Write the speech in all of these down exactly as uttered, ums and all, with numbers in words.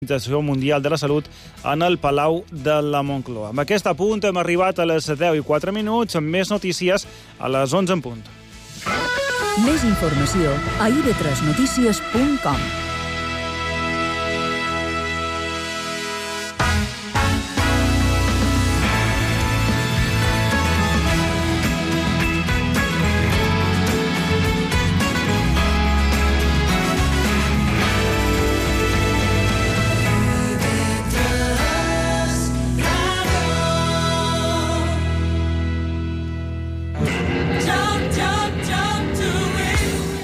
Organització Mundial de la Salut en el Palau de la Moncloa. Amb aquest apunt hem arribat a les deu i quatre minuts, amb més notícies a les onze en punt. Més informació a i ve tres notícies punt com.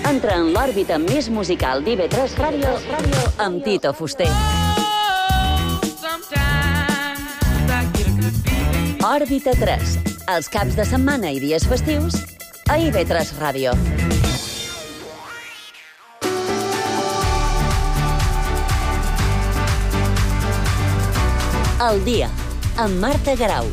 Entra en l'òrbita més musical d'I ve tres Ràdio amb Tito Fuster. Òrbita tres, els caps de setmana i dies festius a I ve tres Ràdio. El dia, amb Marta Garau.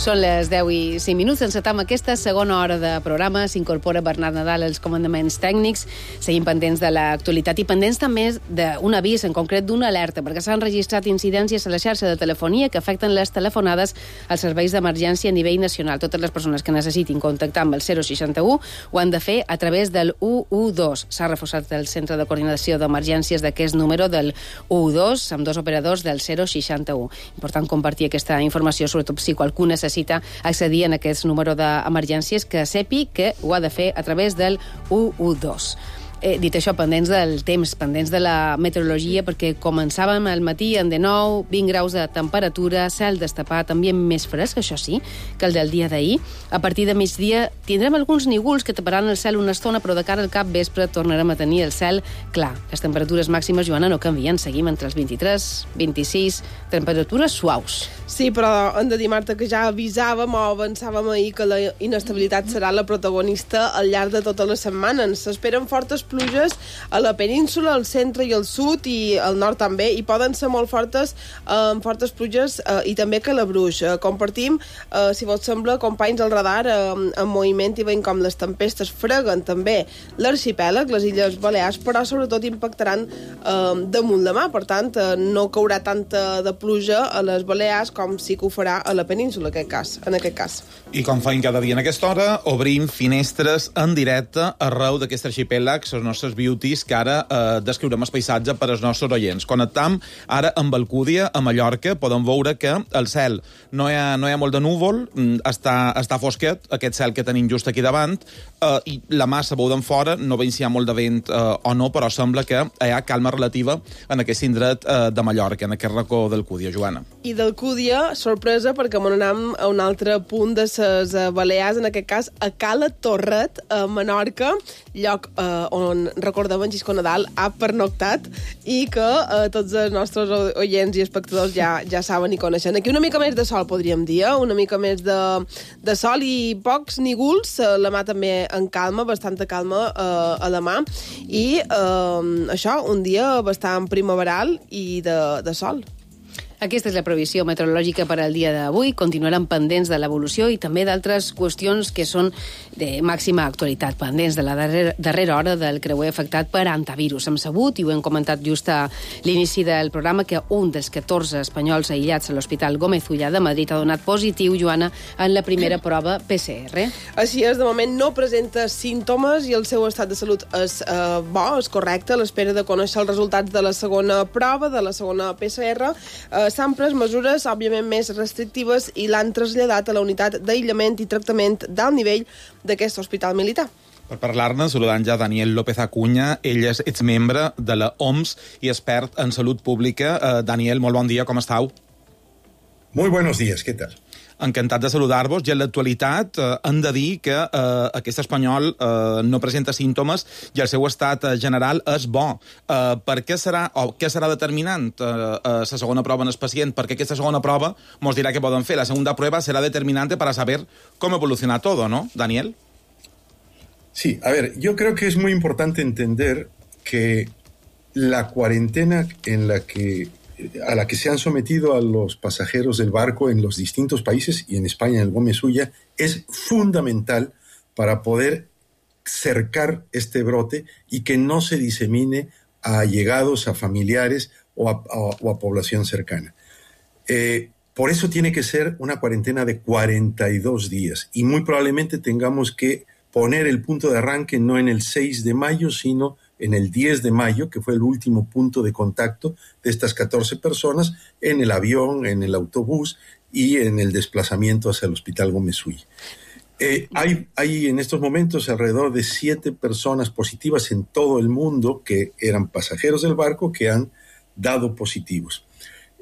Són les deu i cinc minuts. Encetam aquesta segona hora de programa. S'incorpora Bernat Nadal als comandaments tècnics. Seguim pendents de l'actualitat i pendents també d'un avís, en concret d'una alerta, perquè s'han registrat incidències a la xarxa de telefonia que afecten les telefonades als serveis d'emergència a nivell nacional. Totes les persones que necessitin contactar amb el zero seixanta-u ho han de fer a través del u u dos. S'ha reforçat el centre de coordinació d'emergències d'aquest número del u u dos amb dos operadors del zero seixanta-u. Important compartir aquesta informació, sobretot si qualcú necessita necessita accedir en aquest número d'emergències, que sepi que ho ha de fer a través del u u dos. Eh, dit això, pendents del temps, pendents de la meteorologia, perquè començàvem al matí en de nou, vint graus de temperatura, cel destapat, ambient més fresc, això sí, que el del dia d'ahir. A partir de migdia tindrem alguns nígols que taparan el cel una estona, però de cara al cap vespre tornarem a tenir el cel clar. Les temperatures màximes, Joana, no canvien, seguim entre els vint-i-tres, vint-i-sis, temperatures suaus. Sí, però hem de dir, Marta, que ja avisàvem o avançàvem ahir que la inestabilitat serà la protagonista al llarg de totes les setmanes. S'esperen fortes pluges a la península, al centre i al sud i al nord també, i poden ser molt fortes, eh, fortes pluges eh, i també Calabruix. Eh, compartim, eh, si vos sembla, companys al radar eh, en moviment i veiem com les tempestes freguen també l'arxipèlag, les Illes Balears, però sobretot impactaran eh, damunt la mà. Per tant, eh, no caurà tanta de pluja a les Balears com sí que ho farà a la península, en aquest cas. En aquest cas. I com feim cada dia en aquesta hora, obrim finestres en directe arreu d'aquest arxipèlag, les nostres beauties, que ara eh, descriurem el paisatge per als nostres oients. Connectam ara amb Alcúdia, a Mallorca. Podem veure que el cel no hi ha, no hi ha molt de núvol, està, està fosquet, aquest cel que tenim just aquí davant, eh, i la massa veuen fora, no veiem si hi ha molt de vent eh, o no, però sembla que hi ha calma relativa en aquest indret eh, de Mallorca, en aquest racó d'Alcúdia, Joana. I d'Alcúdia, sorpresa, perquè m'anem a un altre punt de les Balears, en aquest cas a Cala Torret, a Menorca, lloc eh, on, recordem, en Xisco Nadal ha pernoctat i que eh, tots els nostres oients i espectadors ja, ja saben i coneixen. Aquí una mica més de sol, podríem dir, eh? Una mica més de, de sol i pocs nígols, eh, la mà també en calma, bastanta calma eh, a la mà, i eh, això, un dia bastant primaveral i de, de sol. Aquesta és la previsió meteorològica per al dia d'avui. Continuaran pendents de l'evolució i també d'altres qüestions que són de màxima actualitat, pendents de la darrera, darrera hora del creuer afectat per antivirus. Hem sabut, i ho hem comentat just a l'inici del programa, que un dels catorze espanyols aïllats a l'Hospital Gómez Ullà de Madrid ha donat positiu, Joana, en la primera prova P C R. Així és, de moment no presenta símptomes i el seu estat de salut és eh, bo, és correcte, a l'espera de conèixer els resultats de la segona prova, de la segona P C R. Eh, s'han pres mesures, òbviament, més restrictives i l'han traslladat a la unitat d'aïllament i tractament d'alt nivell d'aquest hospital militar. Per parlar-ne, saludant ja Daniel López Acuña. Ell és exmembre de la O M S i expert en salut pública. Uh, Daniel, molt bon dia, com estàu? Muy buenos días, ¿qué tal? Encantat de saludar-vos. I en l'actualitat eh, hem de dir que eh, aquest espanyol eh, no presenta símptomes i el seu estat eh, general és bo. Eh, per què serà, o què serà determinant eh, eh, la segona prova en el pacient? Perquè aquesta segona prova ens dirà què poden fer. La segunda prueba serà determinante para saber cómo evoluciona todo, ¿no, Daniel? Sí, a ver, yo creo que es muy importante entender que la cuarentena en la que a la que se han sometido a los pasajeros del barco en los distintos países y en España, en el Gómez Ulla, es fundamental para poder cercar este brote y que no se disemine a allegados, a familiares o a, a, o a población cercana. Eh, por eso tiene que ser una cuarentena de cuarenta y dos días y muy probablemente tengamos que poner el punto de arranque no en el seis de mayo, sino en el diez de mayo, que fue el último punto de contacto de estas catorce personas en el avión, en el autobús y en el desplazamiento hacia el Hospital Gómez Ulla. Eh, hay, hay en estos momentos alrededor de siete personas positivas en todo el mundo que eran pasajeros del barco que han dado positivos.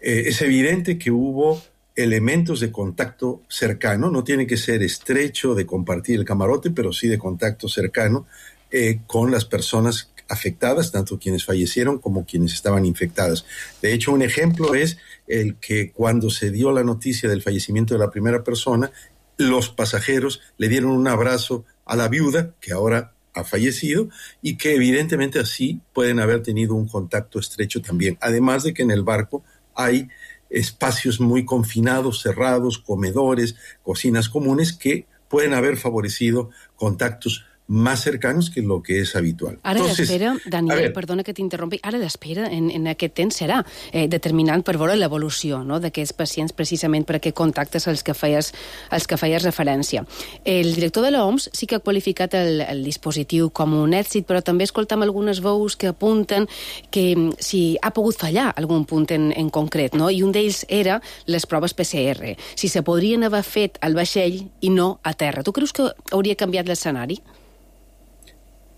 Eh, es evidente que hubo elementos de contacto cercano, no tiene que ser estrecho de compartir el camarote, pero sí de contacto cercano eh, con las personas afectadas, tanto quienes fallecieron como quienes estaban infectadas. De hecho, un ejemplo es el que cuando se dio la noticia del fallecimiento de la primera persona, los pasajeros le dieron un abrazo a la viuda, que ahora ha fallecido, y que evidentemente así pueden haber tenido un contacto estrecho también. Además de que en el barco hay espacios muy confinados, cerrados, comedores, cocinas comunes, que pueden haber favorecido contactos más cercanos que lo que és habitual. Ara l'espera, Daniel, perdona que t'interrompi, ara l'espera en, en aquest temps serà eh, determinant per veure l'evolució, no?, d'aquests pacients precisament per aquest contactes als que feies, als que feies referència. El director de l'O M S sí que ha qualificat el, el dispositiu com un èxit, però també escoltam algunes veus que apunten que si ha pogut fallar algun punt en, en concret, no?, i un d'ells era les proves P C R, si se podrien haver fet al vaixell i no a terra. Tu creus que hauria canviat l'escenari?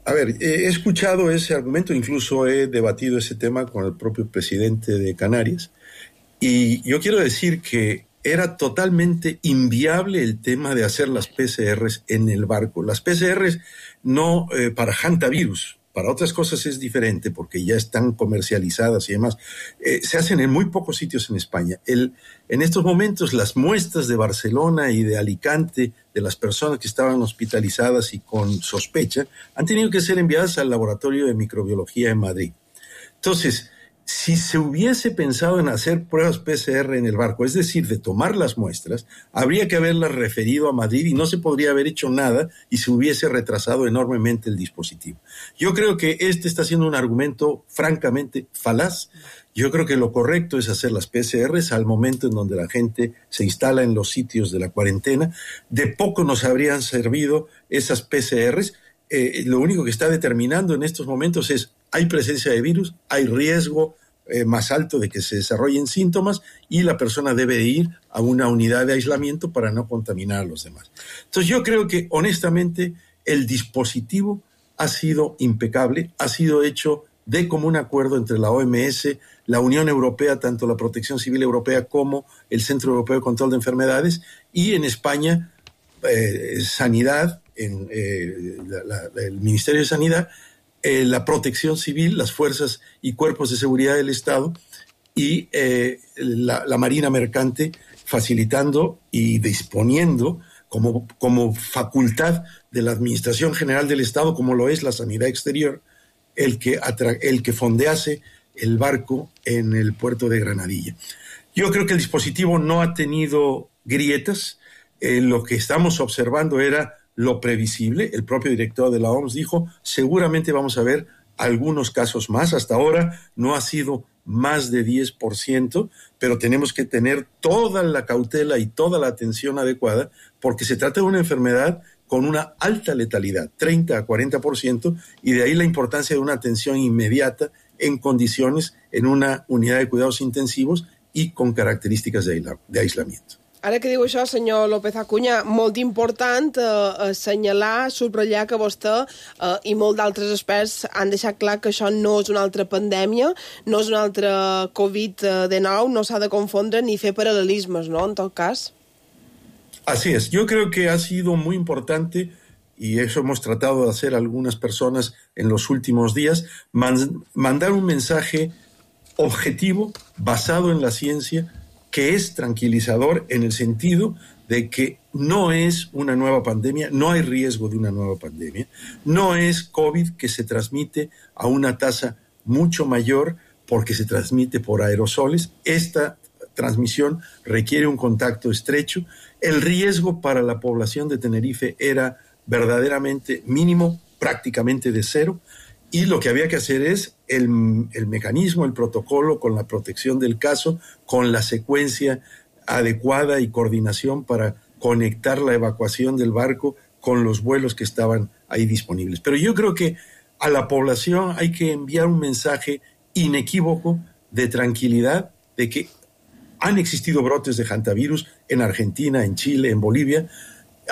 A ver, he escuchado ese argumento, incluso he debatido ese tema con el propio presidente de Canarias, y yo quiero decir que era totalmente inviable el tema de hacer las P C Rs en el barco. Las P C Rs no eh, para hantavirus, para otras cosas es diferente porque ya están comercializadas y demás. Eh, se hacen en muy pocos sitios en España. El, en estos momentos las muestras de Barcelona y de Alicante de las personas que estaban hospitalizadas y con sospecha han tenido que ser enviadas al laboratorio de microbiología en Madrid. Entonces, si se hubiese pensado en hacer pruebas P C R en el barco, es decir, de tomar las muestras, habría que haberlas referido a Madrid y no se podría haber hecho nada y se hubiese retrasado enormemente el dispositivo. Yo creo que este está siendo un argumento francamente falaz. Yo creo que lo correcto es hacer las P C Rs al momento en donde la gente se instala en los sitios de la cuarentena. De poco nos habrían servido esas P C Rs. Eh, lo único que está determinando en estos momentos es hay presencia de virus, hay riesgo eh, más alto de que se desarrollen síntomas y la persona debe ir a una unidad de aislamiento para no contaminar a los demás. Entonces yo creo que honestamente el dispositivo ha sido impecable, ha sido hecho de común acuerdo entre la O M S, la Unión Europea, tanto la Protección Civil Europea como el Centro Europeo de Control de Enfermedades, y en España eh, Sanidad, en, eh, la, la, el Ministerio de Sanidad, eh, la Protección Civil, las fuerzas y cuerpos de seguridad del Estado y eh, la, la Marina Mercante, facilitando y disponiendo como, como facultad de la Administración General del Estado, como lo es la Sanidad Exterior, el que, atra- el que fondease el barco en el puerto de Granadilla. Yo creo que el dispositivo no ha tenido grietas. Eh, lo que estamos observando era lo previsible. El propio director de la O M S dijo, seguramente vamos a ver algunos casos más. Hasta ahora no ha sido más de diez por ciento, pero tenemos que tener toda la cautela y toda la atención adecuada porque se trata de una enfermedad con una alta letalidad, treinta a cuarenta por ciento, y de ahí la importancia de una atención inmediata en condiciones, en una unidad de cuidados intensivos y con características de, aisla- de aislamiento. Ara que diu això, senyor López Acuña, molt important eh, assenyalar, subratllar que vostè eh, i molts d'altres experts han deixat clar que això no és una altra pandèmia, no és una altra covid diecinueve, no s'ha de confondre ni fer paral·lelismes, no?, en tot cas. Así es, yo creo que ha sido muy importante, y eso hemos tratado de hacer algunas personas en los últimos días, man- mandar un mensaje objetivo, basado en la ciencia, que es tranquilizador en el sentido de que no es una nueva pandemia, no hay riesgo de una nueva pandemia, no es COVID que se transmite a una tasa mucho mayor porque se transmite por aerosoles. Esta transmisión requiere un contacto estrecho. El riesgo para la población de Tenerife era verdaderamente mínimo, prácticamente de cero, y lo que había que hacer es el, el mecanismo, el protocolo con la protección del caso, con la secuencia adecuada y coordinación para conectar la evacuación del barco con los vuelos que estaban ahí disponibles. Pero yo creo que a la población hay que enviar un mensaje inequívoco de tranquilidad, de que han existido brotes de hantavirus en Argentina, en Chile, en Bolivia,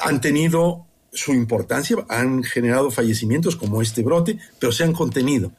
han tenido su importancia, han generado fallecimientos como este brote, pero se han contenido.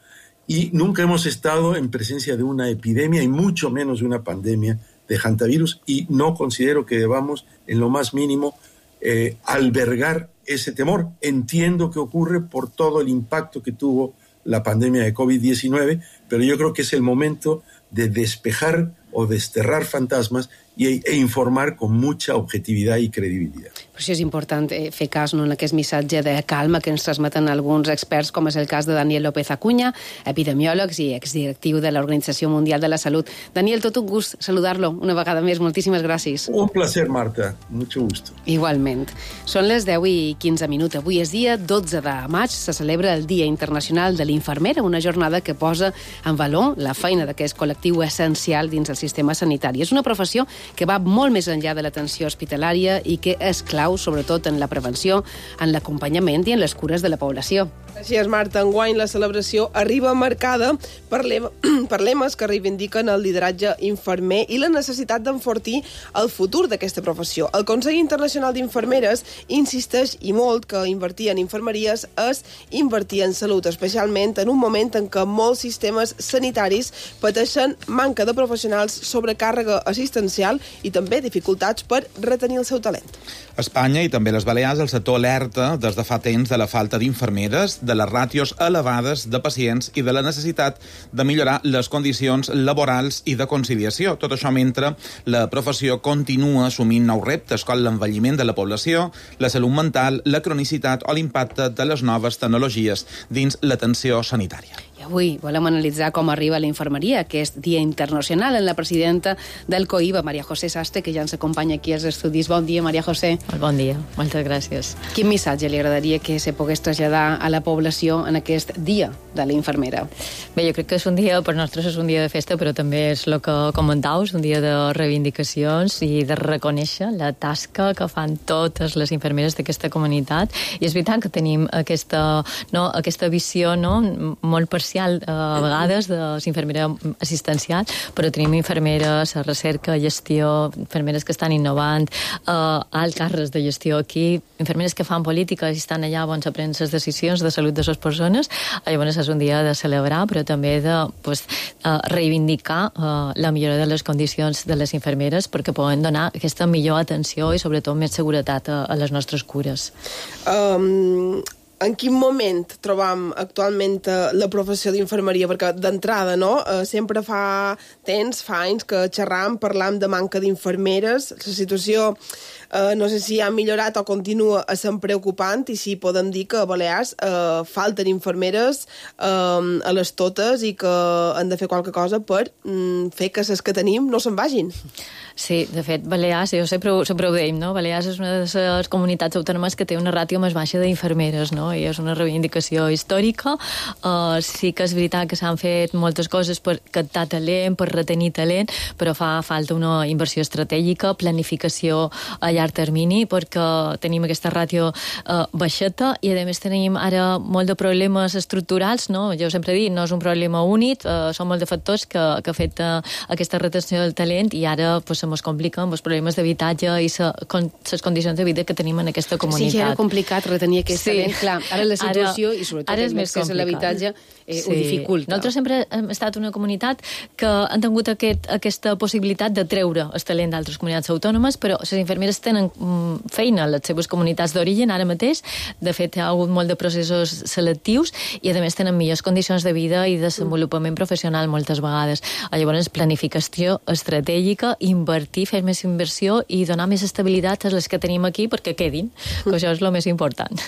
Y nunca hemos estado en presencia de una epidemia y mucho menos de una pandemia de hantavirus, y no considero que debamos en lo más mínimo eh, albergar ese temor. Entiendo que ocurre por todo el impacto que tuvo la pandemia de covid diecinueve, pero yo creo que es el momento de despejar o desterrar fantasmas i, e informar con mucha objetivitat i credibilitat. Per això és important fer cas no, en aquest missatge de calma que ens transmeten alguns experts, com és el cas de Daniel López Acuña, epidemiòleg i exdirectiu de l'Organització Mundial de la Salut. Daniel, tot un gust saludar-lo una vegada més. Moltíssimes gràcies. Un placer, Marta. Mucho gusto. Igualment. Són les deu i quinze minuts. Avui és dia dotze de maig. Se celebra el Dia Internacional de l'Infermera, una jornada que posa en valor la feina d'aquest col·lectiu essencial dins el sistema sanitari. És una professió que va molt més enllà de l'atenció hospitalària i que és clau, sobretot en la prevenció, en l'acompanyament i en les cures de la població. Així és, Marta. Enguany la celebració arriba marcada per, lema, per lemes que reivindiquen el lideratge infermer i la necessitat d'enfortir el futur d'aquesta professió. El Consell Internacional d'Infermeres insisteix i molt que invertir en infermeries és invertir en salut, especialment en un moment en què molts sistemes sanitaris pateixen manca de professionals, sobrecàrrega assistencial i també dificultats per retenir el seu talent. Espanya i també les Balears, el sector alerta des de fa temps de la falta d'infermeres, de les ràtios elevades de pacients i de la necessitat de millorar les condicions laborals i de conciliació. Tot això mentre la professió continua assumint nous reptes com l'envelliment de la població, la salut mental, la cronicitat o l'impacte de les noves tecnologies dins l'atenció sanitària. I avui volem analitzar com arriba la infermeria, aquest Dia Internacional, en la presidenta del COIBA, Maria José Sastre, que ja ens acompanya aquí als estudis. Bon dia, Maria José. Bon dia, moltes gràcies. Quin missatge li agradaria que se pogués traslladar a la població en aquest Dia de la Infermera? Bé, jo crec que és un dia, per nosaltres és un dia de festa, però també és el que comentaus, un dia de reivindicacions i de reconèixer la tasca que fan totes les infermeres d'aquesta comunitat. I és veritat que tenim aquesta, no, aquesta visió no, molt parcial a vegades de l'infermera assistencial, però tenim infermeres a recerca, gestió, infermeres que estan innovant, eh, alt càrrecs de gestió aquí, infermeres que fan política i estan allà on se prenen les decisions de salut de les persones. Llavors és un dia de celebrar, però també de pues, eh, reivindicar eh, la millora de les condicions de les infermeres perquè poden donar aquesta millor atenció i sobretot més seguretat a, a les nostres cures. Um... En quin moment trobam actualment la professió d'infermeria? Perquè d'entrada, no? Sempre fa temps, fa anys que xerram, parlam de manca d'infermeres. La situació eh, no sé si ha millorat o continua sent preocupant, i sí podem dir que a Balears eh, falten infermeres eh, a les totes i que han de fer qualque cosa per mm, fer que les que tenim no se'n vagin. Sí, de fet, Balears, jo sempre, sempre ho deim, no? Balears és una de les comunitats autònomes que té una ràtio més baixa d'infermeres, no? I és una reivindicació històrica. Uh, sí que és veritat que s'han fet moltes coses per captar talent, per retenir talent, però fa falta una inversió estratègica, planificació a llarg termini, perquè tenim aquesta ràtio uh, baixeta i, a més, tenim ara molt de problemes estructurals, no? Jo sempre dic, no és un problema únic, uh, són molt de factors que, que afecten aquesta retenció del talent i ara pues, se mos compliquen els problemes d'habitatge i les condicions de vida que tenim en aquesta comunitat. Sí, ja era complicat retenir aquest sí. talent, clar. Ara la situació ara, i sobretot el accés a l'habitatge eh, sí. ho dificulta. Nosaltres sempre hem estat una comunitat que han tingut aquest, aquesta possibilitat de treure el talent d'altres comunitats autònomes, però les infermeres tenen feina a les seves comunitats d'origen ara mateix. De fet, hi ha hagut molt de processos selectius i, a més, tenen millors condicions de vida i desenvolupament professional moltes vegades. Llavors, planificació estratègica, invertir, fer més inversió i donar més estabilitat a les que tenim aquí perquè quedin, que això és el més important.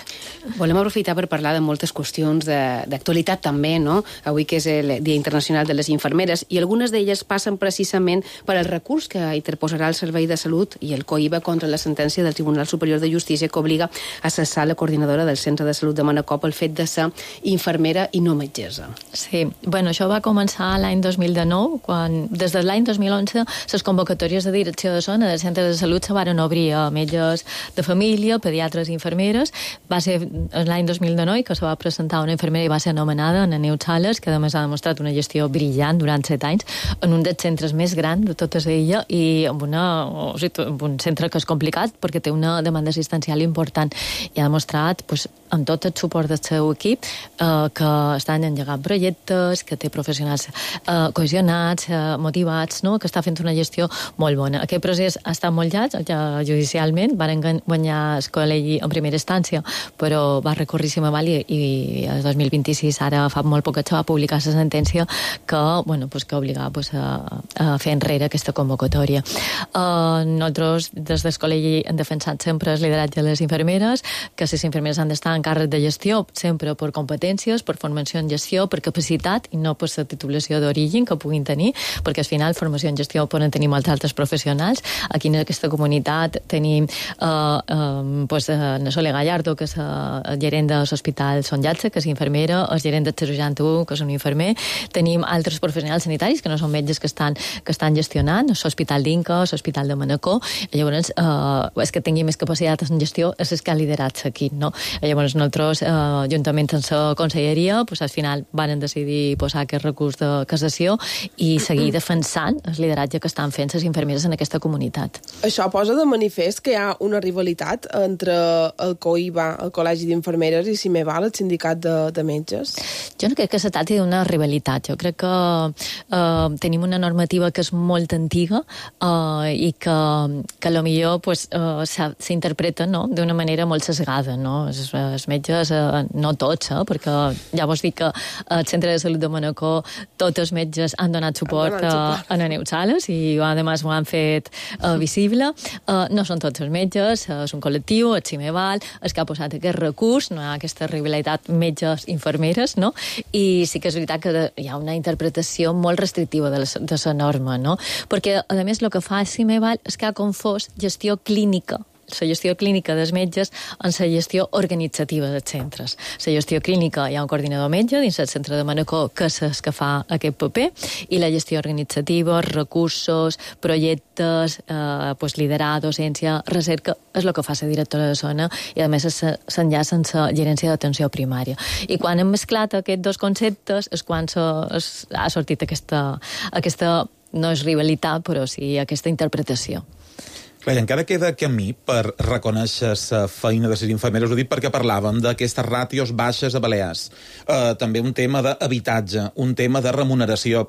Volem aprofitar per parlar de moltes qüestions d'actualitat també, no? Avui que és el Dia Internacional de les Infermeres, i algunes d'elles passen precisament per al recurs que interposarà el Servei de Salut i el COIBA contra la sentència del Tribunal Superior de Justícia que obliga a cessar la coordinadora del Centre de Salut de Manacor pel fet de ser infermera i no metgessa. Sí, bueno, això va començar l'any dos mil dinou, quan des de l'any dos mil onze les convocatòries de direcció de zona dels centres de salut se varen obrir a metges de família, pediatres i infermeres. Va ser l'any dos mil dinou que se va presentar una infermera i va ser anomenada Ana Neus Sales, que a més ha demostrat una gestió brillant durant set anys en un dels centres més grans de totes ella i amb, una, o sigui, amb un centre que és complicat perquè té una demanda assistencial important i ha demostrat pues, amb tot el suport del seu equip eh, que estan engegant projectes, que té professionals eh, cohesionats, eh, motivats, no? Que està fent una gestió molt bona. Aquest procés ha estat molt llarg, ja judicialment, van guanyar el col·legi en primera instància, però va recórrer si m'aval i, i el dos mil vint-i-sis, ara fa molt poc que va publicar la sentència que, bueno, pues, que obligava pues, a, a fer enrere aquesta convocatòria. Uh, nosaltres, des del col·legi, hem defensat sempre el lideratge de les infermeres, que les infermeres han d'estar en càrrec de gestió, sempre per competències, per formació en gestió, per capacitat i no per la titulació d'origen que puguin tenir, perquè al final formació en gestió poden tenir molts altres professionals. Aquí en aquesta comunitat tenim uh, uh, pues, uh, Sole Gallardo, que és uh, el gerent de l'Hospital Son Llatze, que és infermera, el gerent del seixanta u, que és un infermer. Tenim altres professionals sanitaris que no són metges que estan, que estan gestionant, l'Hospital d'Inca, l'Hospital de Manacor. Llavors, uh, és que tingui més capacitat en gestió, és el que ha liderat aquí, no? Llavors, nosaltres, uh, juntament amb la conselleria, pues, al final van decidir posar aquest recurs de cassació i seguir defensant el lideratge que estan fent les infermeres en aquesta comunitat. Això posa de manifest que hi ha una rivalitat entre el COIBA, el Col·legi d'Infermeres, i si me val, el sindicat de, de metges? Jo no crec que se tracti d'una rivalitat. Jo crec que eh, tenim una normativa que és molt antiga eh, i que, que potser pues, eh, s'interpreta, no?, d'una manera molt sesgada, no? Els, els metges, eh, no tots, eh, perquè ja vos dic que al Centre de Salut de Manacor tots els metges han donat suport, han donat suport. a Ana Neus Sales i a més ho han fet uh, visible. Uh, no són tots els metges, uh, és un col·lectiu, el CIMEVAL, el que ha posat aquest recurs, no hi ha aquesta rivalitat metges-infermeres, no? I sí que és veritat que hi ha una interpretació molt restrictiva de la, de la norma, no? Perquè, a més, el que fa el CIMEVAL és que ha confós gestió clínica, la gestió clínica dels metges en la gestió organitzativa dels centres. La gestió clínica hi ha un coordinador metge dins el centre de Manacor que és el que fa aquest paper i la gestió organitzativa, recursos, projectes, eh, pues, liderar, docència, recerca, és el que fa la directora de zona i a més s'enllaça amb la gerència d'atenció primària. I quan hem mesclat aquests dos conceptes és quan ha sortit aquesta, aquesta no és rivalitat, però sí aquesta interpretació. Clar, encara queda camí per reconèixer la feina de les infermeres. Ho dic perquè parlàvem d'aquestes ràtios baixes a Balears. Uh, també un tema d'habitatge, un tema de remuneració,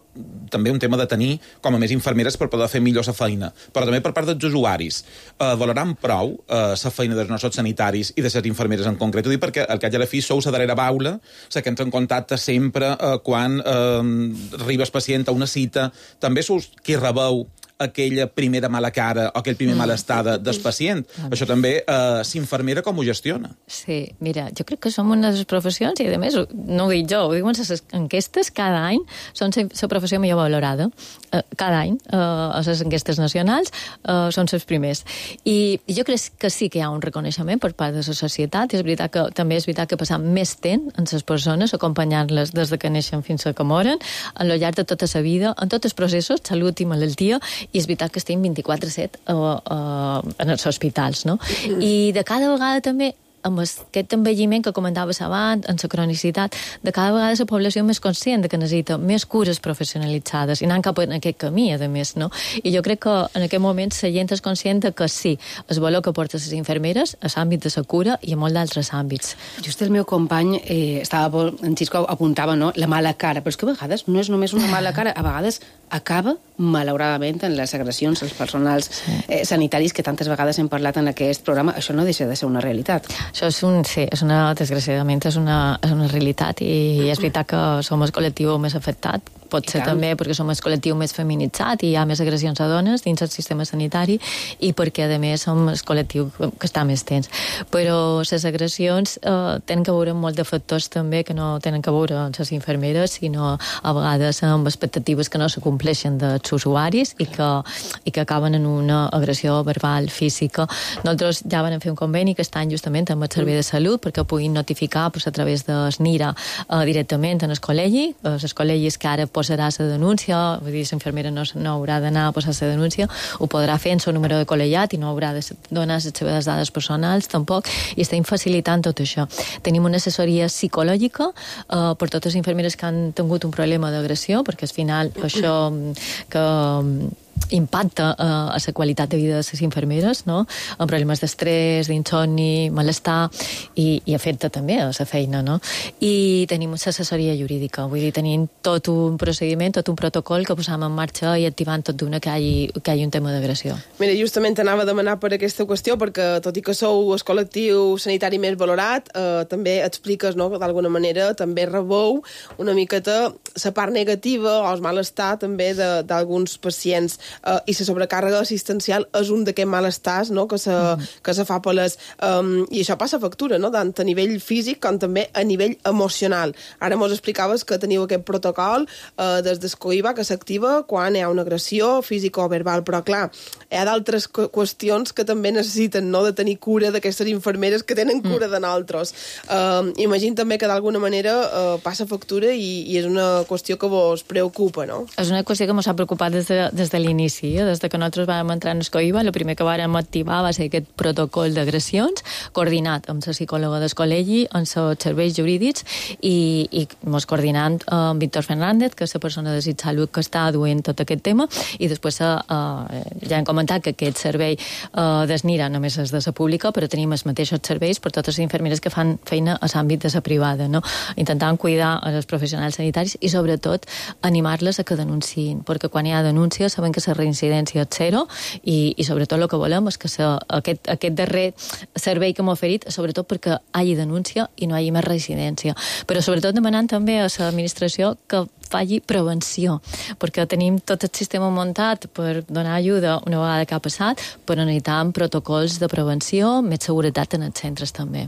també un tema de tenir com a més infermeres per poder fer millor la feina. Però també per part dels usuaris. Uh, valoram prou la uh, feina dels nostres sanitaris i de les infermeres en concret. Ho dic perquè al cap i a la fi sou la darrera baula, la que entra en contacte sempre uh, quan uh, arriba el pacient a una cita. També sou qui rebeu aquella primera mala cara o aquell primer malestada del pacient. Mm. Això també, eh, s'infermera com ho gestiona? Sí, mira, jo crec que som una de les professions, i a més, no ho dic jo, ho diuen les enquestes, cada any són la professió millor valorada. Eh, cada any, eh, a les enquestes nacionals, eh, són els primers. I, I jo crec que sí que hi ha un reconeixement per part de la societat, i és veritat que també és veritat que passam més temps en les persones, acompanyant-les des de que neixen fins a que moren, al llarg de tota la vida, en tots els processos, salut i malaltia, i és veritat que estem vint-i-quatre set uh, uh, en els hospitals, no? I de cada vegada també amb aquest envelliment que comentaves abans, en la cronicitat, de cada vegada la població més conscient de que necessita més cures professionalitzades i anant cap en aquest camí, a més, no? I jo crec que en aquest moment la gent és conscient que sí, el valor que porten les infermeres a l'àmbit de la cura i a molts d'altres àmbits. Just el meu company, eh, estava, en Xisco apuntava, no?, la mala cara, però és que a vegades no és només una mala cara, a vegades acaba, malauradament, en les agressions als personals eh, sanitaris que tantes vegades hem parlat en aquest programa. Això no deixa de ser una realitat. Això és un, sí, és una, desgraciadament és una, és una realitat i és veritat que som el col·lectiu més afectat, pot ser també perquè som el col·lectiu més feminitzat i hi ha més agressions a dones dins el sistema sanitari i perquè, a més, som el col·lectiu que està més tens. Però les agressions eh, tenen que veure amb molts de factors també que no tenen que veure amb les infermeres, sinó a vegades amb expectatives que no se compleixen dels usuaris i que, i que acaben en una agressió verbal, física. Nosaltres ja vam fer un conveni que estan justament amb el Servei de Salut perquè puguin notificar pues, a través del NIRA eh, directament en el col·legi, els col·legis que ara posarà la denúncia, vull dir, l'infermera no, no haurà d'anar a posar la denúncia, ho podrà fer en el número de col·legiat i no haurà de donar les seves dades personals tampoc, i estem facilitant tot això. Tenim una assessoria psicològica eh, per totes les infermeres que han tingut un problema d'agressió, perquè al final això que impacta eh, a la qualitat de vida de les infermeres, no? Amb problemes d'estrès, d'insomni, malestar, i, i afecta també a la feina, no? I tenim una assessoria jurídica, vull dir, tenim tot un procediment, tot un protocol que posam en marxa i activant tot d'una que hi, que hi hagi un tema d'agressió. Mira, justament anava a demanar per aquesta qüestió, perquè tot i que sou el col·lectiu sanitari més valorat, eh, també expliques, no?, que d'alguna manera també rebou una miqueta la part negativa o el malestar també d'alguns pacients. Uh, i la sobrecàrrega assistencial és un d'aquests malestars, no?, que se, mm. que se fa per les... Um, I això passa factura, no?, tant a nivell físic com també a nivell emocional. Ara mos explicaves que teniu aquest protocol uh, des d'Escoiva que s'activa quan hi ha una agressió física o verbal, però clar, hi ha d'altres qüestions que també necessiten, no?, de tenir cura d'aquestes infermeres que tenen cura mm. de nosaltres. Uh, imagino també que d'alguna manera uh, passa factura i, i és una qüestió que vos preocupa, no? És una qüestió que mos ha preocupat des de, des de l'inici. Des de que nosaltres vam entrar en Escoiva, el primer que vàrem activar va ser aquest protocol d'agressions, coordinat amb la psicòloga del col·legi, amb els serveis jurídics i, i mos coordinant amb Víctor Fernández, que és la persona de Salut que està duent tot aquest tema, i després uh, ja hem comentat que aquest servei uh, d'Esnira només és de la pública, però tenim els mateixos serveis per totes les infermeres que fan feina a l'àmbit de la privada, no? Intentant cuidar els professionals sanitaris i sobretot animar-les a que denunciïn, perquè quan hi ha denúncia sabem que la reincidència és zero i, i sobretot el que volem és que se, aquest, aquest darrer servei que hem oferit, sobretot perquè hi hagi denúncia i no hi hagi més reincidència. Però sobretot demanant també a l'administració que faci prevenció, perquè tenim tot el sistema muntat per donar ajuda una vegada que ha passat, però necessitem protocols de prevenció, més seguretat en els centres també.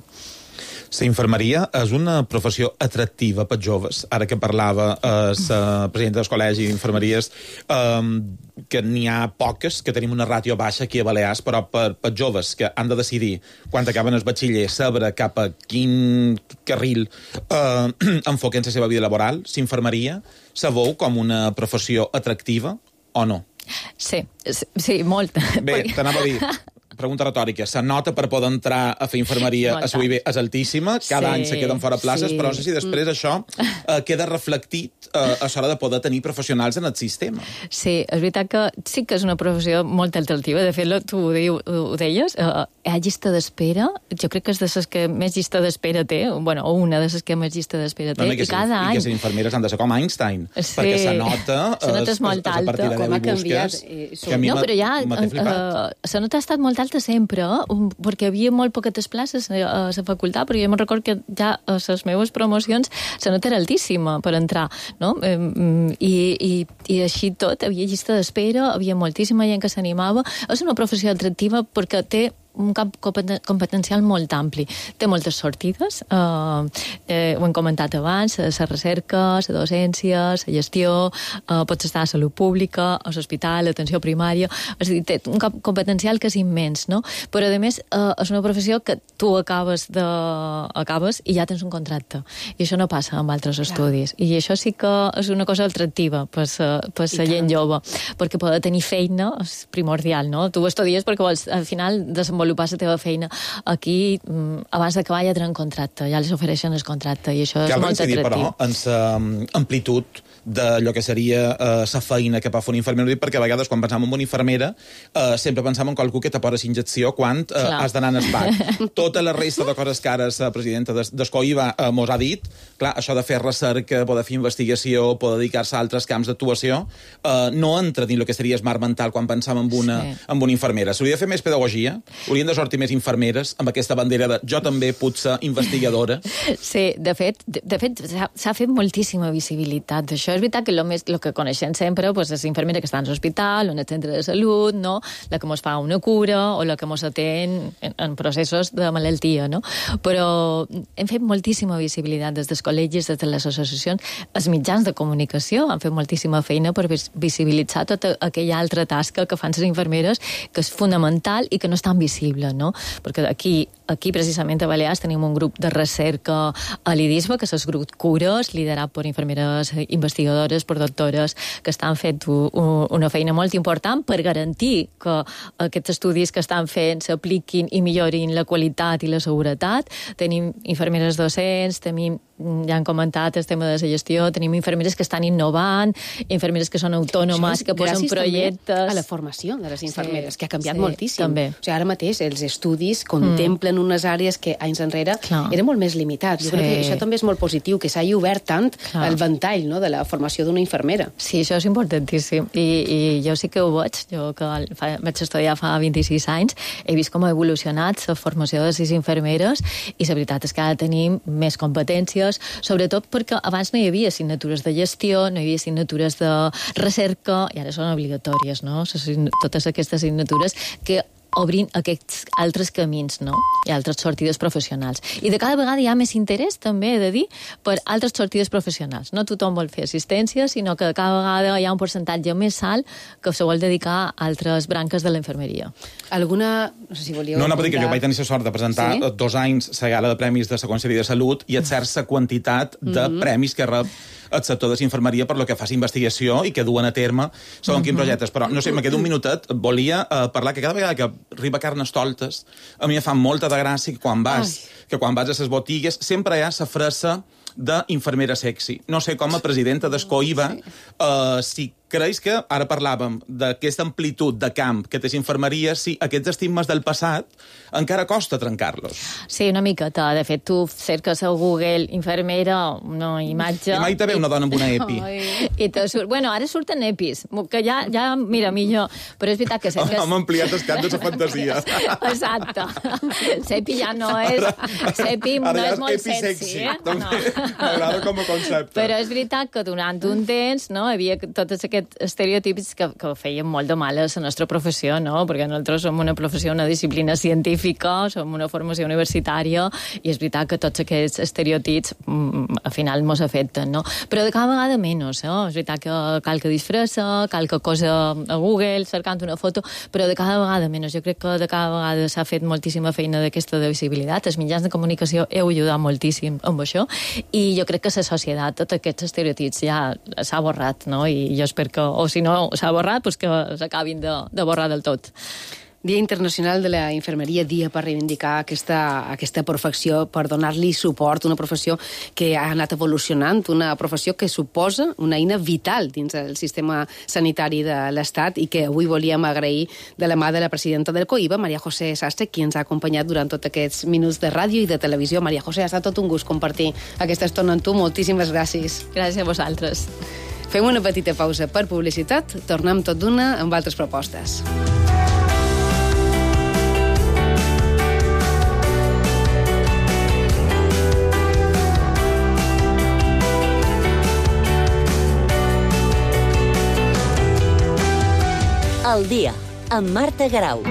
La infermeria és una professió atractiva per joves. Ara que parlava eh, la presidenta del col·legi d'infermeries, eh, que n'hi ha poques, que tenim una ràtio baixa aquí a Balears, però per, per joves que han de decidir, quan acaben el batxiller, saber cap a quin carril eh, enfoquen la seva vida laboral, l'infermeria se veu com una professió atractiva o no? Sí, sí, molt. Bé, t'anava a dir... Pregunta retòrica. La nota per poder entrar a fer infermeria a S U I B és altíssima, cada sí, any se queden fora places, sí. Però no sé si després mm. això eh, queda reflectit eh, a l'hora de poder tenir professionals en el sistema. Sí, és veritat que sí que és una professió molt atractiva. De fet, tu ho, diu, ho deies, eh, hi ha llista d'espera, jo crec que és de les que més llista d'espera té, bueno, o una de les que més llista d'espera té, no, no, i, i cada any... I que les infermeres han de ser com Einstein, sí. Perquè la nota, la nota és molt alta, és, és com ha canviat. No, però ja, la nota ha estat molt alta sempre, perquè havia molt poquetes places a la facultat, però jo me'n recordo que ja a les meves promocions la nota era altíssima per entrar, no? I, i, i així tot, havia llista d'espera, havia moltíssima gent que s'animava. És una professió atractiva perquè té un camp competencial molt ampli. Té moltes sortides, eh, eh, ho hem comentat abans, la recerca, la docència, la gestió, eh, pots estar a salut pública, a l'hospital, l'atenció primària, és a dir, té un camp competencial que és immens, no? Però, a més, eh, és una professió que tu acabes, de, acabes i ja tens un contracte, i això no passa amb altres estudis, i això sí que és una cosa atractiva per la gent jove, perquè poder tenir feina és primordial, no? Tu estudies perquè vols, al final, desenvolupar la teva feina aquí, abans d'acabar ja tenen contracte, ja les ofereixen el contracte, i això és molt atractiu. Cal incidir, però, en l'amplitud d'allò que seria la uh, feina que pot fer un infermer, perquè a vegades quan pensam en una infermera uh, sempre pensam en qualcú que t'apora la injecció quan uh, has d'anar en espat. Tota la resta de coses que ara la presidenta d'Escoiva uh, mos ha dit, clar, això de fer recerca, poder fer investigació, poder dedicar-se a altres camps d'actuació, uh, no entra dins el que seria smart mental quan pensam en una, sí. en una infermera. S'hauria de fer més pedagogia, haurien de sortir més infermeres amb aquesta bandera de jo també puc ser investigadora. Sí, de fet, de, de fet s'ha fet moltíssima visibilitat d'això. És veritat que el més, lo que coneixem sempre pues, és infermera que està en l'hospital o en el centre de salut, no? La que mos fa una cura o la que mos atén en, en processos de malaltia, no? Però hem fet moltíssima visibilitat des dels col·legis, des de les associacions, els mitjans de comunicació han fet moltíssima feina per visibilitzar tota aquella altra tasca que fan les infermeres, que és fonamental i que no és tan visible, no? Perquè aquí, aquí precisament a Balears tenim un grup de recerca a l'IDISBA, que és el grup Cures, liderat per infermeres investigadores, per doctores, que estan fent una feina molt important per garantir que aquests estudis que estan fent s'apliquin i millorin la qualitat i la seguretat. Tenim infermeres docents, tenim, ja han comentat el tema de la gestió, tenim infermeres que estan innovant, infermeres que són autònomes, que posen projectes... a la formació de les infermeres, sí, que ha canviat sí, moltíssim. També. O sigui, ara mateix els estudis contemplen mm. unes àrees que anys enrere Clar. eren molt més limitats. Jo sí. crec que això també és molt positiu, que s'hagi obert tant Clar. el ventall, no?, de la formació d'una infermera. Sí, això és importantíssim. I, i jo sí que ho veig. Jo que fa, vaig estudiar fa vint-i-sis anys, he vist com ha evolucionat la formació de les infermeres i la veritat és que ara tenim més competències, sobretot perquè abans no hi havia assignatures de gestió, no hi havia assignatures de recerca, i ara són obligatòries, no? Totes aquestes assignatures que obrin aquests altres camins, no? I altres sortides professionals. I de cada vegada hi ha més interès, també he de dir, per altres sortides professionals. No tothom vol fer assistència, sinó que cada vegada hi ha un percentatge més alt que se vol dedicar a altres branques de la infermeria. Alguna... No sé si volíeu... No, no, perquè jo vaig tenir la sort de presentar sí? dos anys la gala de premis de la Conselleria de Salut i et certa quantitat de mm-hmm. premis que rep el sector de la infermeria per lo que fa investigació i que duen a terme segons mm-hmm. quins projectes. Però, no sé, me queda un minutet, volia uh, parlar que cada vegada que arriba Carnestoltes, a mi em fa molta de gràcia que quan vas, Ai. que quan vas a les botigues sempre hi ha la fressa d'infermera sexy. No sé com a presidenta d'Escoiva, sí. uh, si creus que, ara parlàvem d'aquesta amplitud de camp que té infermeria, si aquests estigmes del passat encara costa trencar-los. Sí, una miqueta. De fet, tu cerques a Google infermera, una imatge... I mai te ve una dona amb una epi. I te surt... Bueno, ara surten epis, que ja, ja mira, millor. Però és veritat que cerques... Hem ampliat el cap de la fantasia. Exacte. L'epi ja no és... L'epi no és molt sexy, eh? No. M'agrada com a concepte. Però és veritat que durant un temps, no, hi havia totes aquests estereotips que, que feien molt de mal a la nostra professió, no? Perquè nosaltres som una professió, una disciplina científica, som una formació universitària, i és veritat que tots aquests estereotips mm, al final mos afecten, no? Però de cada vegada menys, no? És veritat que cal que disfressa, cal que cosa a Google, cercant una foto, però de cada vegada menys. Jo crec que de cada vegada s'ha fet moltíssima feina d'aquesta de visibilitat. Els mitjans de comunicació heu ajudat moltíssim amb això, i jo crec que la societat, tots aquests estereotips ja s'ha borrat, no? I jo espero que, o si no s'ha borrat, pues que s'acabin de, de borrar del tot. Dia Internacional de la Infermeria, dia per reivindicar aquesta, aquesta professió, per donar-li suport, una professió que ha anat evolucionant, una professió que suposa una eina vital dins el sistema sanitari de l'Estat i que avui volíem agrair de la mà de la presidenta del COIBA, Maria José Sastre, qui ens ha acompanyat durant tots aquests minuts de ràdio i de televisió. Maria José, ha estat tot un gust compartir aquesta estona amb tu. Moltíssimes gràcies. Gràcies a vosaltres. Fem una petita pausa per publicitat, tornem tot d'una amb altres propostes. Al dia, amb Marta Garau.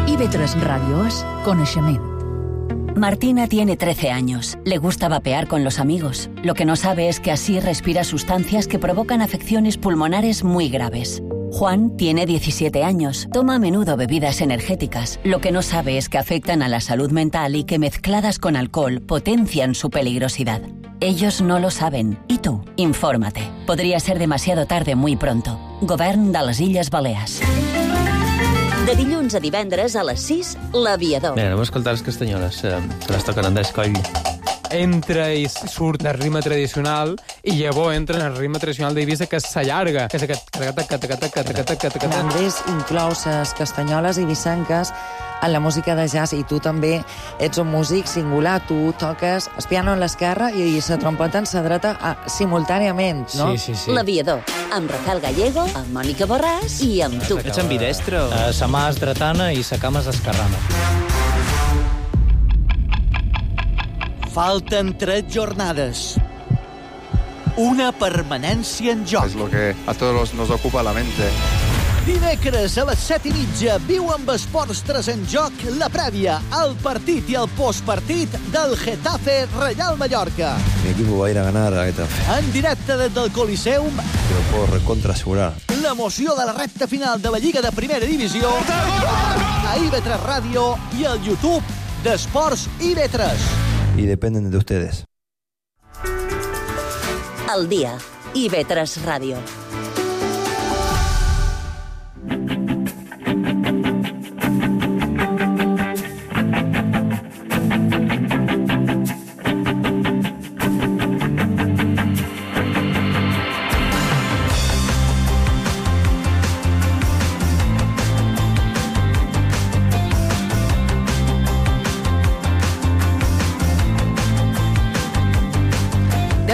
I V tres Radio és coneixement. Martina tiene trece años. Le gusta vapear con los amigos. Lo que no sabe es que así respira sustancias que provocan afecciones pulmonares muy graves. Juan tiene diecisiete años. Toma a menudo bebidas energéticas. Lo que no sabe es que afectan a la salud mental y que mezcladas con alcohol potencian su peligrosidad. Ellos no lo saben. ¿Y tú? Infórmate. Podría ser demasiado tarde muy pronto. Govern de les Illes Balears. De dilluns a divendres a les sis, L'Aviador. Bé, anem a escoltar les castanyoles. Se les toquen Andrés Coll. entra i surt del ritme tradicional i llavors entra en el ritme tradicional d'Eivissa, que s'allarga, que és aquest... Andrés inclou les castanyoles i vicenques en la música de jazz, i tu també ets un músic singular. Tu toques el piano en l'esquerra i la trompeta en la dreta simultàniament, no? Sí, sí, sí. L'Aviador, amb Rafael Gallego, amb Mònica Borràs i amb tu. Ets ambidestre? Uh, sa mà és dretana i sa cama és esquerrana. Falten tres jornades. Una permanència en joc. Es lo que a todos nos ocupa la mente. Dimecres a les set i mitja viu amb Esports tres en joc la prèvia, el partit i el postpartit del Getafe Real Mallorca. Mi equipo va a ir a ganar a Getafe. En directe des del Coliseum. Te lo puedo recontra asegurar. L'emoció de la recta final de la Lliga de Primera Divisió a I B tres Ràdio i al YouTube d'Esports I B tres. Y dependen de ustedes. El dia, I B tres Ràdio.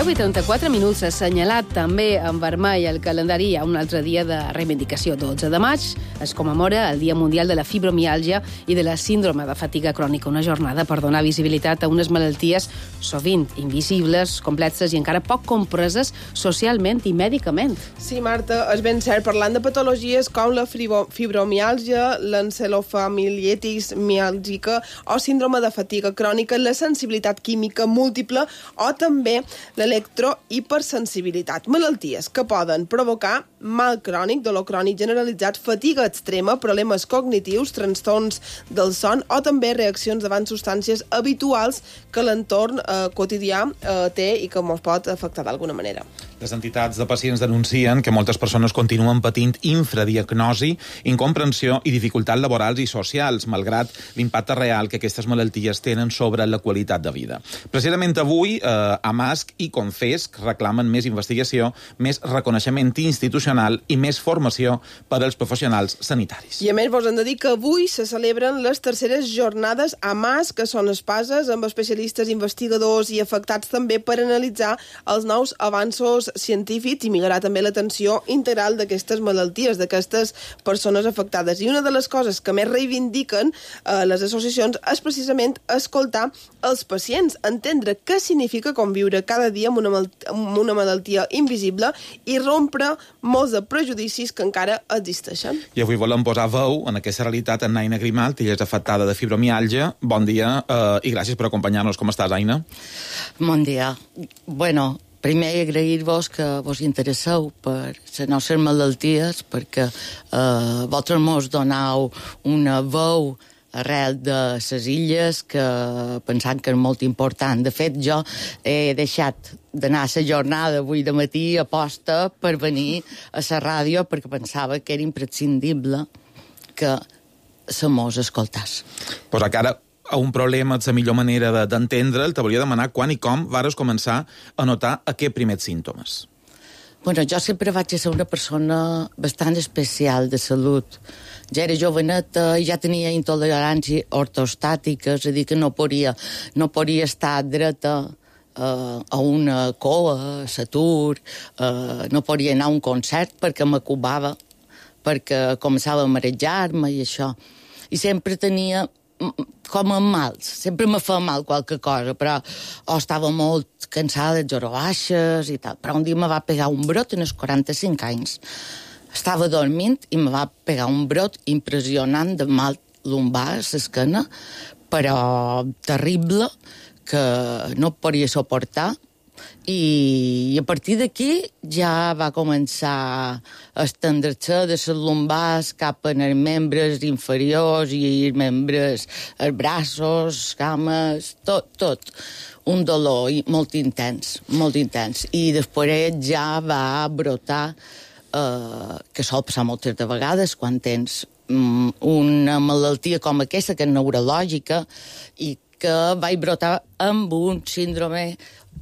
deu i trenta-quatre minuts, assenyalat també en vermell el calendari. Hi ha un altre dia de reivindicació. dotze de maig es commemora el Dia Mundial de la Fibromiàlgia i de la Síndrome de Fatiga Crònica, una jornada per donar visibilitat a unes malalties sovint invisibles, complexes i encara poc compreses socialment i mèdicament. Sí, Marta, és ben cert. Parlant de patologies com la fibromiàlgia, l'encefalomyelitis miàlgica o síndrome de fatiga crònica, la sensibilitat química múltiple o també l'electrohipersensibilitat. Malalties que poden provocar mal crònic, dolor crònic generalitzat, fatiga extrema, problemes cognitius, trastorns del son o també reaccions davant substàncies habituals que l'entorn eh, quotidià eh, té i que ens pot afectar d'alguna manera. Les entitats de pacients denuncien que moltes persones continuen patint infradiagnosi, incomprensió i dificultats laborals i socials, malgrat l'impacte real que aquestes malalties tenen sobre la qualitat de vida. Precisament avui, eh, AMASC i Confesc reclamen més investigació, més reconeixement institucional i més formació per als professionals sanitaris. I a més, vos hem de dir que avui se celebren les terceres jornades AMASC, que són espases amb especialistes, investigadors i afectats també per analitzar els nous avanços científics i millorar també l'atenció integral d'aquestes malalties, d'aquestes persones afectades. I una de les coses que més reivindiquen eh, les associacions és precisament escoltar els pacients, entendre què significa conviure cada dia amb una, amb una malaltia invisible i rompre molts de prejudicis que encara existeixen. I avui volem posar veu en aquesta realitat en Aina Grimalt, ella és afectada de fibromiàlgia. Bon dia eh, i gràcies per acompanyar-nos. Com estàs, Aina? Bon dia. Bueno, primer agrair-vos que vos interesseu per les nostres malalties, perquè eh, vosaltres mos donau una veu arrel de les illes que pensant que és molt important. De fet, jo he deixat d'anar a la jornada avui de matí a posta per venir a la ràdio perquè pensava que era imprescindible que se mos escoltàs. Posa cara a un problema, és la millor manera d'entendre'l. Te volia demanar quan i com vares començar a notar aquests primers símptomes. Bueno, jo sempre vaig ser una persona bastant especial de salut. Ja era joveneta i ja tenia intolerància ortostàtica, és a dir, que no podia, no podia estar dreta uh, a una cola, a l'atur, uh, no podia anar a un concert perquè m'acubava, perquè començava a marejar-me i això. I sempre tenia com amb mals, sempre me fa mal qualque cosa, però o estava molt cansada, zero baixes i tal. Però un dia me va pegar un brot en els quaranta-cinc anys. Estava dormint i me va pegar un brot impressionant de mal lumbar a l'esquena, però terrible, que no podia suportar. I, i a partir d'aquí ja va començar a estendre-se de les lumbars cap a els membres inferiors i els membres, els braços, cames, tot, tot. Un dolor molt intens, molt intens. I després ja va brotar, eh, que sol passar moltes de vegades quan tens um, una malaltia com aquesta, que és neurològica, i que vaig brotar amb un síndrome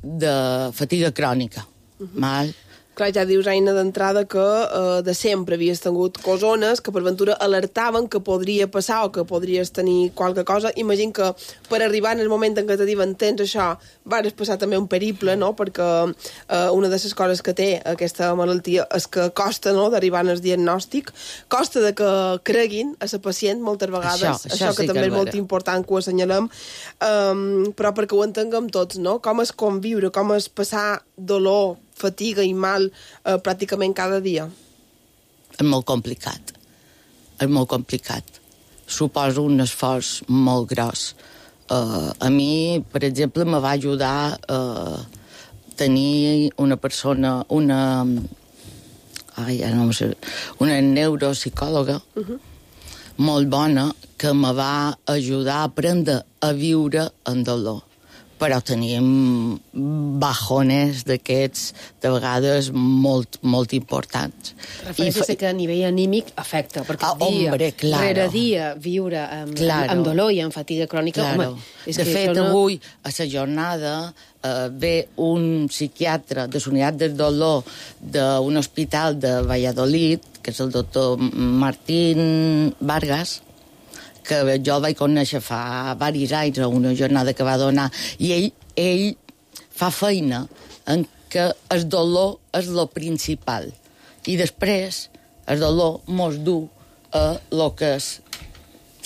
de fatiga crònica. Uh-huh. Mal. Clar, ja dius, Aina, d'entrada que eh, de sempre havies tingut cosones que per ventura alertaven que podria passar o que podries tenir qualque cosa. Imagino que per arribar en el moment en què te diuen tens això, vas passar també un periple, no? Perquè eh, una de les coses que té aquesta malaltia és que costa, no?, d'arribar al diagnòstic, costa de que creguin a la pacient moltes vegades, això, això, això que sí també que és molt important que ho assenyalem, um, però perquè ho entenguem tots, no? Com és conviure, com és passar dolor, fatiga i mal eh, pràcticament cada dia? És molt complicat. És molt complicat. Suposo un esforç molt gros. Uh, a mi, per exemple, me va ajudar a uh, tenir una persona, una... Ai, ja no sé, una neuropsicòloga uh-huh. molt bona que me va ajudar a aprendre a viure en dolor. Però teníem bajones d'aquests, de vegades, molt, molt importants. Refereixes fa... que a nivell anímic afecta, perquè ah, dia, hombre, claro. rere dia, viure amb, claro. amb dolor i amb fatiga crònica, claro. home... És de que fet, no... avui, a la jornada, eh, ve un psiquiatre de la unitat del dolor d'un hospital de Valladolid, que és el doctor Martín Vargas, que jo el vaig conèixer fa diversos anys a una jornada que va donar, i ell, ell fa feina en què el dolor és el principal. I després el dolor mos du a lo que és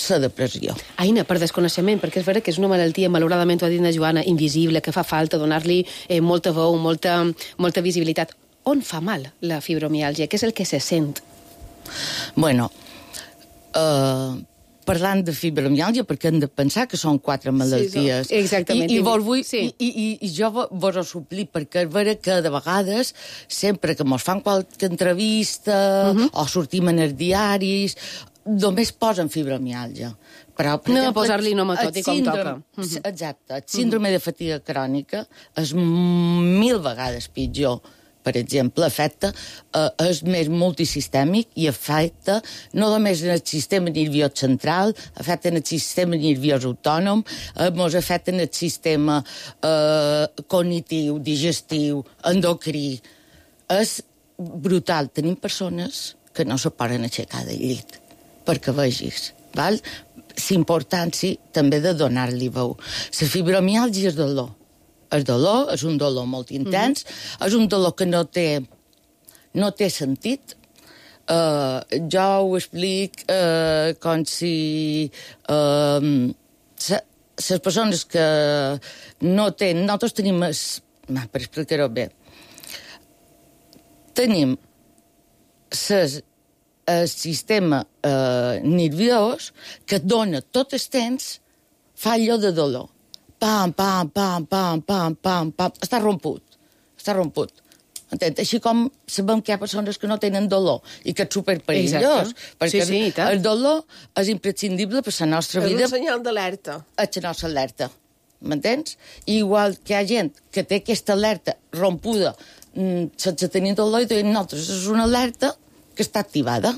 la depressió. Aina, per desconeixement, perquè és vera que és una malaltia, malauradament ho ha dit la Joana, invisible, que fa falta donar-li eh, molta veu, molta, molta visibilitat. On fa mal la fibromiàlgia? Què és el que se sent? Bueno, eh... Uh, parlant de fibromiàlgia, perquè hem de pensar que són quatre malalties. Sí, exactament. I, i, vos vull, sí. i, i, i jo vos ho suplir, perquè és vera que de vegades, sempre que mos fan qualque entrevista uh-huh. o sortim en els diaris, només posen fibromiàlgia. Però, per no exemple, posar-li nom a tot i com síndrome, toca. Uh-huh. Exacte. El síndrome uh-huh. de fatiga crònica és mil vegades pitjor. Per exemple, afecta, eh, és més multisistèmic i afecta no només en el sistema nerviós central, afecta en el sistema nerviós autònom, eh, ens afecta en el sistema eh, cognitiu, digestiu, endocrí. És brutal. Tenim persones que no se poden aixecar del llit, perquè vegis, val? L'importància també de donar-li veu. La fibromiàlgia és dolor. El dolor és un dolor molt intens, mm-hmm. és un dolor que no té, no té sentit. Uh, jo ho explic uh, com si uh, les persones que no tenen... Nosaltres tenim... Es, per explicar-ho bé. Tenim ses, el sistema uh, nerviós que dona tot el temps fallo de dolor. Pam, pam, pam, pam, pam, pam, pam. Està romput. Està romput. Entens? Així com sabem que hi ha persones que no tenen dolor i que és superperillós. Perquè sí, sí, el dolor és imprescindible per la nostra és vida. És un senyal d'alerta. És la nostra alerta. M'entens? Igual que hi ha gent que té aquesta alerta rompuda sense tenir dolor i diuen, nosaltres és una alerta que està activada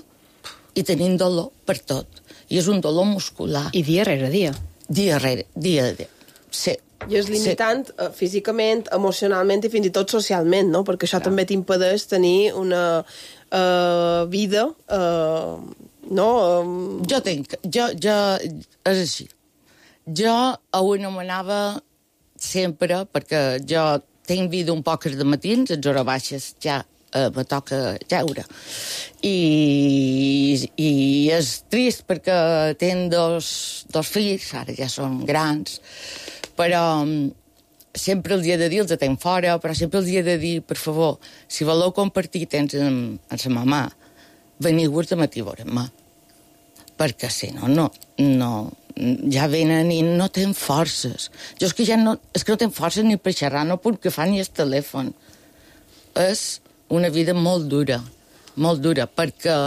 i tenim dolor per tot. I és un dolor muscular. I dia rere dia. Dia rere dia. dia. Sí. I és limitant sí. uh, físicament, emocionalment i fins i tot socialment, no? Perquè això Clar. també t'impedeix tenir una uh, vida, uh, no? Um... Jo tinc, jo, jo, és així. Jo ho anomenava sempre, perquè jo tinc vida un poc de matins, a hores baixes ja uh, me toca jeure. I, i és trist perquè tinc dos, dos fills, ara ja són grans, però sempre els he de dir, els tenc fora, però sempre els he de dir, per favor, si voleu compartir temps amb, amb la mamà, veniu-vos de matí a veure-me. Perquè si no, no, no, ja venen i no tenen forces. Jo és que ja no, és que no tenen forces ni per xerrar, no puc agafar ni el telèfon. És una vida molt dura, molt dura, perquè,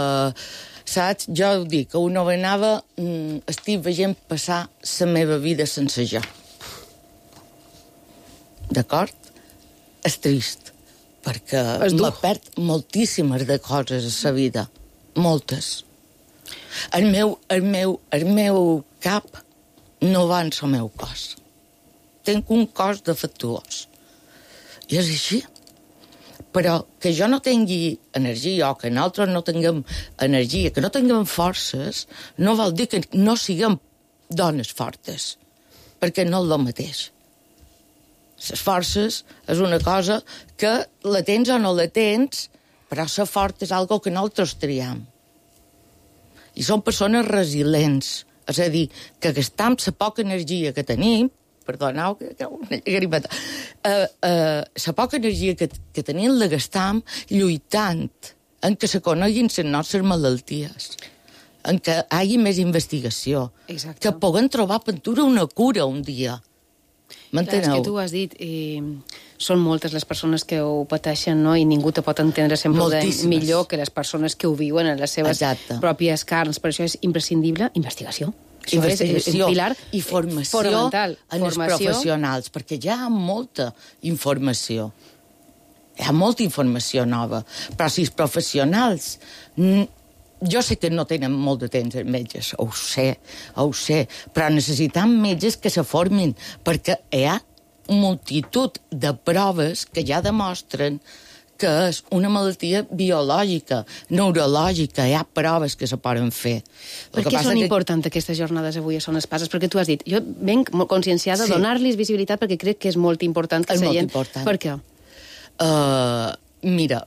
saps, jo ho dic, que una vegada estic veient passar la meva vida sense jo. D'acord? És trist, perquè me perd moltíssimes de coses a la vida, moltes. El meu, el meu, el meu cap no va en el meu cos. tinc un cos defectuós. I és així. Però que jo no tingui energia o que nosaltres no tinguem energia, que no tinguem forces, no vol dir que no siguem dones fortes, perquè no és el mateix. Les forces és una cosa que la tens o no la tens, però ser fort és algo que nosaltres triem. I són persones resilients, és a dir, que gastam la poca energia que tenim, perdoneu, que una llagrimeta, uh, uh, la poca energia que, que tenim la gastam lluitant en que se coneguin les nostres malalties, en que hi hagi més investigació, Exacte. Que puguem trobar pintura una cura un dia. M'enteneu? Clar, és que tu has dit, eh, són moltes les persones que ho pateixen, no? I ningú te pot entendre sempre de millor que les persones que ho viuen en les seves Exacte. pròpies carns. Per això és imprescindible investigació. Això Investigació és un pilar i formació fonamental. en els Formació. professionals, perquè ja hi ha molta informació. Hi ha molta informació nova. Però si els professionals... Jo sé que no tenen molt de temps els metges, ho sé, ho sé, però necessitem metges que se formin, perquè hi ha multitud de proves que ja demostren que és una malaltia biològica, neurològica, hi ha proves que se poden fer. Per què són que... importants aquestes jornades avui a Son Espases? Perquè tu has dit, jo venc molt conscienciada de sí. donar-los visibilitat perquè crec que és molt important que és la gent... gent... Important. Per què? Uh, mira,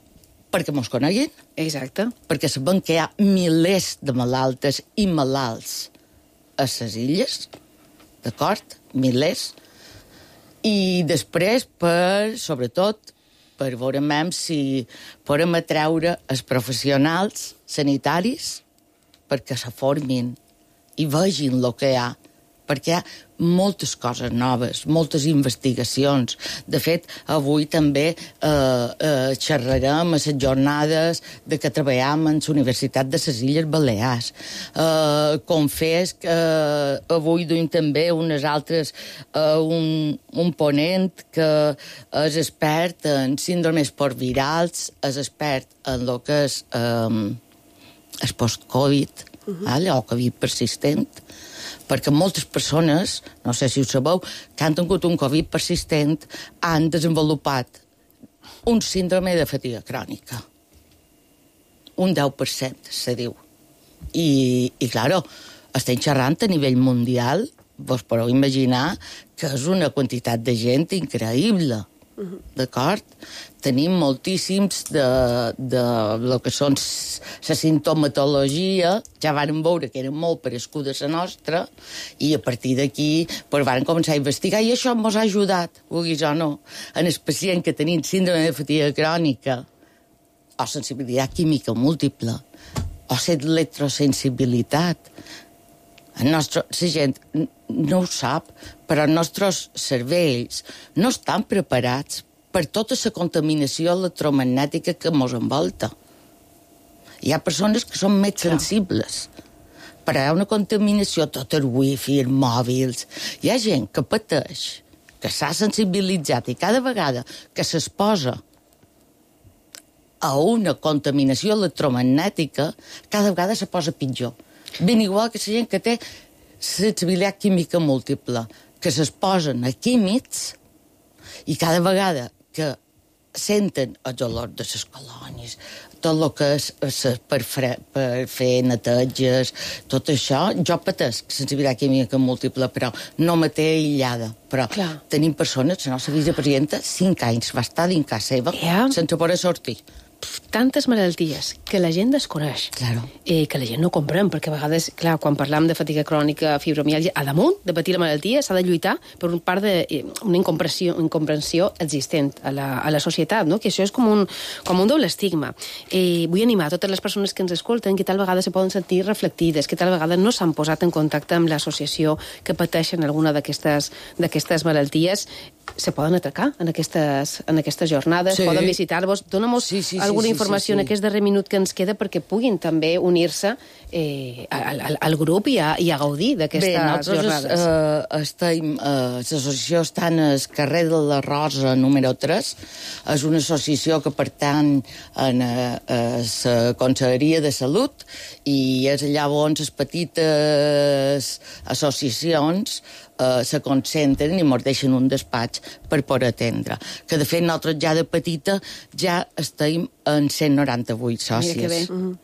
perquè mos coneguin. Exacte. Perquè sabem que hi ha milers de malaltes i malalts a les illes, d'acord? Milers. I després, per, sobretot, per veure si podem atreure els professionals sanitaris perquè se formin i vegin el que hi ha. Perquè hi ha moltes coses noves, moltes investigacions. De fet, avui també eh, eh, xerrarem a les jornades de que treballem en la Universitat de les Illes Balears. Eh, com fes que eh, avui duim també unes altres, eh, un, un ponent que és expert en síndromes postvirals, és expert en el que és eh, el post-Covid, uh-huh. allò, o Covid persistent, perquè moltes persones, no sé si ho sabeu, que han tingut un Covid persistent han desenvolupat un síndrome de fatiga crònica. Un deu per cent, se diu. I, i claro, estem xerrant a nivell mundial, vos podeu imaginar que és una quantitat de gent increïble. Uh-huh. D'acord? Tenim moltíssims de, de lo que són la sintomatologia, ja vàrem veure que era molt parescuda la nostra, i a partir d'aquí pues, vàrem començar a investigar, i això ens ha ajudat, vulguis o no, en el pacient que tenim síndrome de fatiga crònica, o sensibilitat química múltiple, o l'electrosensibilitat. El nostre, la gent no ho sap, però els nostres cervells no estan preparats per tota la contaminació electromagnètica que ens envolta. Hi ha persones que són més sensibles, però hi ha una contaminació, tot el wifi, els mòbils. Hi ha gent que pateix, que s'ha sensibilitzat i cada vegada que s'exposa a una contaminació electromagnètica, cada vegada se posa pitjor. Ben igual que la gent que té sensibilitat química múltiple, que s'exposen a químics i cada vegada que senten el dolor de les colònies, tot el que és per, fre, per fer neteges, tot això, jo patesc sensibilitat química múltiple, però no me té aïllada. Però Clar. Tenim persones, la nostra vicepresidenta, cinc anys va estar dins casa seva yeah. sense poder sortir. Tantes malalties que la gent desconeix, claro. eh, que la gent no comprèn, perquè a vegades, clar, quan parlam de fatiga crònica, fibromiàlgia, a damunt de patir la malaltia s'ha de lluitar per un part d'una eh, incomprensió, incomprensió existent a la, a la societat, no? Que això és com un, com un doble estigma. Eh, vull animar a totes les persones que ens escolten que tal vegada se poden sentir reflectides, que tal vegada no s'han posat en contacte amb l'associació que pateixen alguna d'aquestes d'aquestes malalties. se poden atracar en aquestes, en aquestes jornades, Sí. poden visitar-vos. Dóna-nos Sí, sí, sí, alguna sí, informació sí, sí. en aquest darrer minut que ens queda perquè puguin també unir-se eh, al, al, al grup i a, i a gaudir d'aquestes Bé, nosaltres jornades. eh, estem, eh, l'associació està al carrer de la Rosa número tres. És una associació que pertany a la Conselleria de Salut i és allà on les petites associacions eh, se concentren i ens deixen un despatx per poder atendre. Que, de fet, nosaltres ja de petita ja estem en cent noranta-vuit sòcies. Mira que bé. Mhm.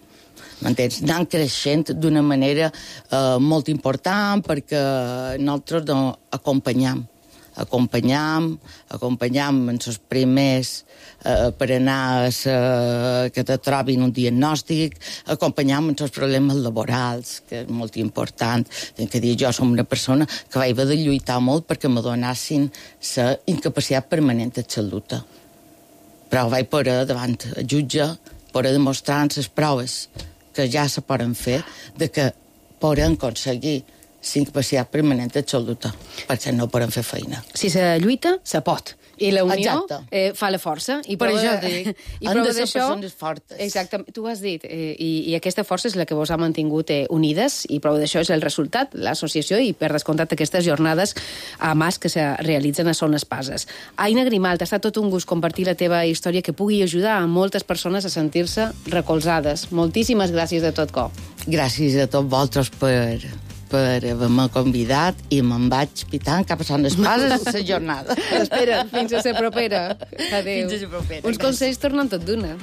M'entens? Anant creixent d'una manera eh, molt important perquè nosaltres no, acompanyam. Acompanyam, acompanyam en els primers eh, per anar a sa, que te trobin un diagnòstic, acompanyam en els problemes laborals, que és molt important. Tinc que dir, jo som una persona que vaig haver de lluitar molt perquè me donassin la incapacitat permanent de salut. Però vaig poder, davant el jutge, poder demostrar en les proves que ja se poden fer de que podem aconseguir la incapacitat permanent absoluta, perquè no podem fer feina. Si se lluita, se pot. I la unió Exacte. eh, fa la força. I Per prova això de- dic, i han prova de ser d'això- persones fortes. Exactament, tu ho has dit. Eh, i, I aquesta força és la que vos ha mantingut eh, unides, i prova d'això és el resultat, l'associació, i per descomptat aquestes jornades a Mas que se realitzen a Son Espases. Aina Grimalt, ha estat tot un gust compartir la teva història que pugui ajudar a moltes persones a sentir-se recolzades. Moltíssimes gràcies de tot cor. Gràcies a tots vosaltres per, per haver-me convidat i me'n vaig pitant cap a Son Espases la jornada. Espera, fins a la propera. Adéu. Fins a la propera. Uns consells tornen tot d'una.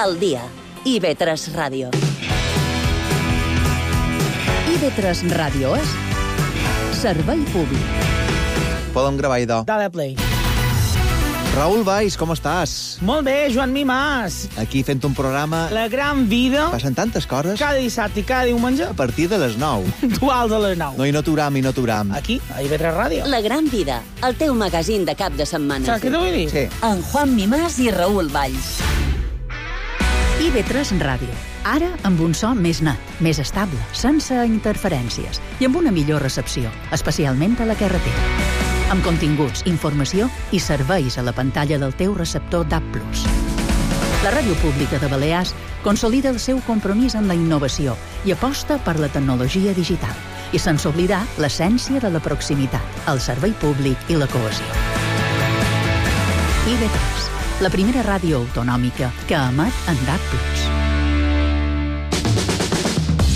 Al dia. I ve tres Ràdio. I ve tres Ràdio és servei públic. Podem gravar, idò. Dale play. Raül Valls, com estàs? Molt bé, Joan Mimàs. Aquí fent un programa... La gran vida. Passen tantes coses. Cada dissabte i cada diumenge. A partir de les nou. Duals a les nou. No, i no t'uram, i no t'uram. Aquí, a I V tres Ràdio. La gran vida, el teu magazín de cap de setmana. Saps què t'ho vull dir? Sí. En Juan Mimàs i Raül Valls. I ve tres Ràdio. Ara amb un so més net, més estable, sense interferències i amb una millor recepció, especialment a la carretera. Amb continguts, informació i serveis a la pantalla del teu receptor D A B plus. La Ràdio Pública de Balears consolida el seu compromís en la innovació i aposta per la tecnologia digital. I sense oblidar l'essència de la proximitat, el servei públic i la cohesió. I ve tres, la primera ràdio autonòmica que emet en D A B plus.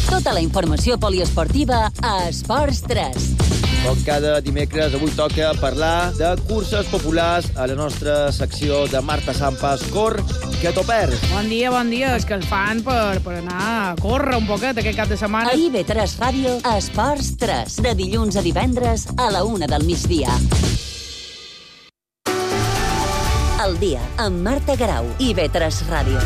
Tota la informació poliesportiva a Esports tres. Com cada dimecres, avui toca parlar de curses populars a la nostra secció de Marta Sampas. Cor, que t'ho perds. Bon dia, bon dia. És que els fan per, per anar a córrer un poquet aquest cap de setmana. A I V tres Ràdio, Esports tres, de dilluns a divendres a la una del migdia. Al dia, amb Marta Garau, I V tres Ràdio.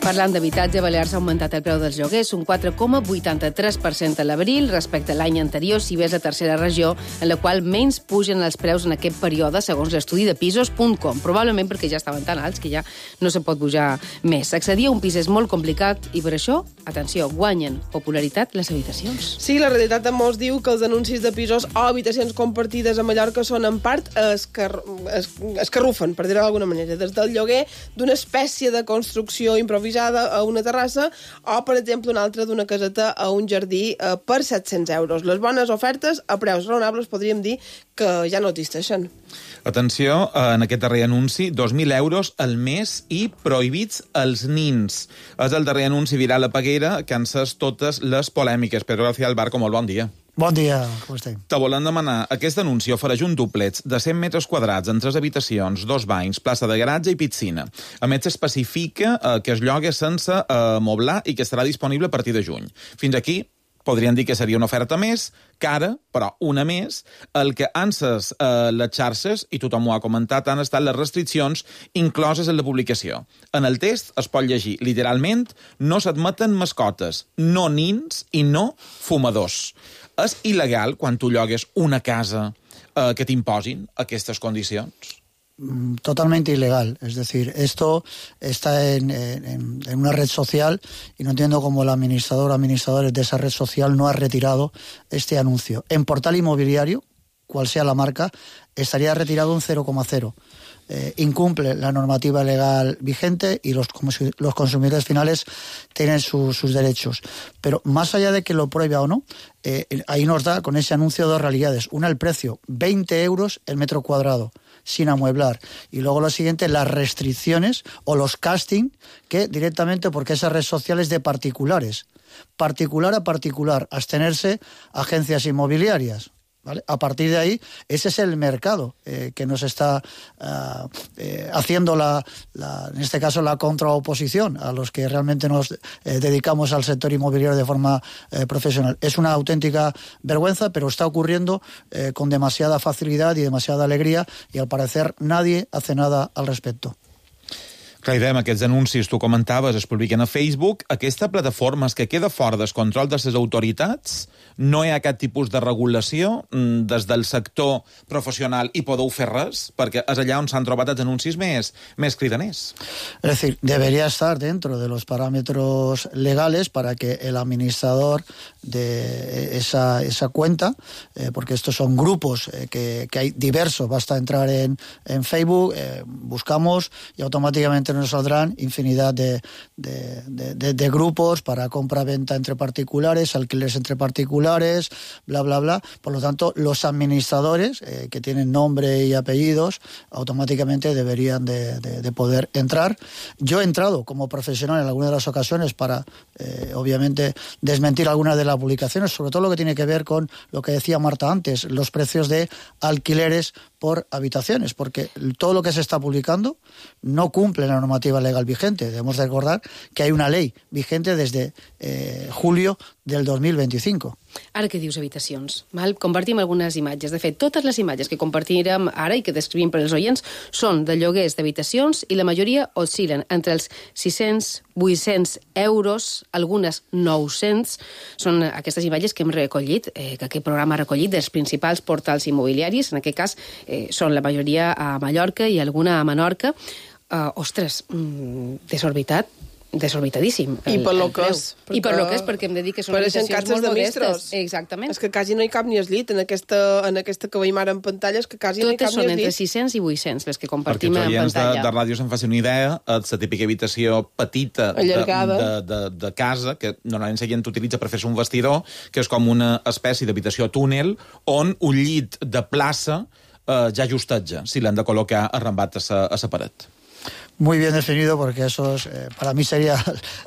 Parlant d'habitatge, Balears ha augmentat el preu dels lloguers un quatre coma vuitanta-tres per cent a l'abril respecte a l'any anterior, si bé és la tercera regió en la qual menys pugen els preus en aquest període, segons l'estudi de pisos punt com, probablement perquè ja estaven tan alts que ja no se pot pujar més. Accedir a un pis és molt complicat i per això, atenció, guanyen popularitat les habitacions. Sí, la realitat també us diu que els anuncis de pisos o habitacions compartides a Mallorca són en part escar... es... escarrufen, per dir-ho d'alguna manera, des del lloguer d'una espècie de construcció improvisada pujada a una terrassa, o, per exemple, una altra d'una caseta a un jardí eh, per set-cents euros. Les bones ofertes a preus raonables podríem dir que ja no existeixen. Atenció, en aquest darrer anunci, dos mil euros al mes i prohibits als nins. És el darrer anunci viral a Peguera que ha encès totes les polèmiques. Pedro García Albarco, molt bon dia. Bon dia, com estem? Te volen demanar, aquest anunci ofereix un dúplex de cent metres quadrats en tres habitacions, dos banys, plaça de garatge i piscina. A més, s'especifica eh, que es lloga sense eh, moblar i que estarà disponible a partir de juny. Fins aquí podrien dir que seria una oferta més, cara, però una més. El que han ses eh, les xarxes, i tothom ho ha comentat, han estat les restriccions incloses en la publicació. En el test es pot llegir, literalment, no s'admeten mascotes, no nins i no fumadors. És il·legal, quan tu llogues una casa, eh, que t'imposin aquestes condicions? Totalmente ilegal. Es decir, esto está en, en, en una red social y no entiendo cómo el administrador o administradores de esa red social no ha retirado este anuncio. En portal inmobiliario, cual sea la marca, estaría retirado un cero coma cero. Eh, incumple la normativa legal vigente y los, los consumidores finales tienen su, sus derechos. Pero más allá de que lo prohíba o no, eh, ahí nos da con ese anuncio dos realidades. Una, el precio, veinte euros el metro cuadrado, sin amueblar. Y luego lo siguiente, las restricciones o los casting, que directamente, porque esa red social es de particulares. Particular a particular, abstenerse agencias inmobiliarias. ¿Vale? A partir de ahí, ese es el mercado eh, que nos está uh, eh, haciendo, la, la, en este caso, la contraoposición a los que realmente nos eh, dedicamos al sector inmobiliario de forma eh, profesional. Es una auténtica vergüenza, pero está ocurriendo eh, con demasiada facilidad y demasiada alegría, y al parecer nadie hace nada al respecto. Clar, idem, aquests anuncis, tu comentaves, es publiquen a Facebook. Aquesta plataforma és que queda fora del control de les autoritats? No hi ha cap tipus de regulació des del sector professional i podeu fer res? Perquè és allà on s'han trobat els anuncis més, més cridaners. Es decir, debería estar dentro de los parámetros legales para que el administrador de esa, esa cuenta, eh, porque estos son grupos eh, que, que hay diversos, basta entrar en, en Facebook, eh, buscamos y automáticamente nos saldrán infinidad de, de, de, de, de grupos para compra-venta entre particulares, alquileres entre particulares, bla, bla, bla. Por lo tanto, los administradores, eh, que tienen nombre y apellidos, automáticamente deberían de, de, de poder entrar. Yo he entrado como profesional en alguna de las ocasiones para, eh, obviamente, desmentir algunas de las publicaciones, sobre todo lo que tiene que ver con lo que decía Marta antes, los precios de alquileres por habitaciones, porque todo lo que se está publicando no cumple la normativa legal vigente. Debemos de recordar que hay una ley vigente desde eh, julio del dos mil veinticinco. Ara que dius habitacions, val? Compartim algunes imatges. De fet, totes les imatges que compartirem ara i que descrivim per als oients són de lloguers d'habitacions i la majoria oscil·len entre els sis-cents, vuit-cents euros, algunes nou-cents. Són aquestes imatges que hem recollit, eh, que aquest programa ha recollit dels principals portals immobiliaris. En aquest cas eh, són la majoria a Mallorca i alguna a Menorca. Uh, ostres, mm, desorbitat, desorbitadíssim. I per lo que és. I per lo que és, perquè em de dir que són habitacions molt modestes. Exactament. És que quasi no hi cap ni el llit en aquesta, en aquesta que veiem ara en pantalla, és que quasi totes no hi cap ni el llit. Totes són entre sis-cents i vuit-cents, les que compartim en pantalla. Perquè els oients de, de ràdio se'n facin una idea, és la típica habitació petita de, de, de, de casa, que normalment la gent utilitza per fer-se un vestidor, que és com una espècie d'habitació túnel, on un llit de plaça eh, ja justeja, si l'han de col·locar arrambat a sa, a sa paret. Muy bien definido, porque eso es, eh, para mí sería,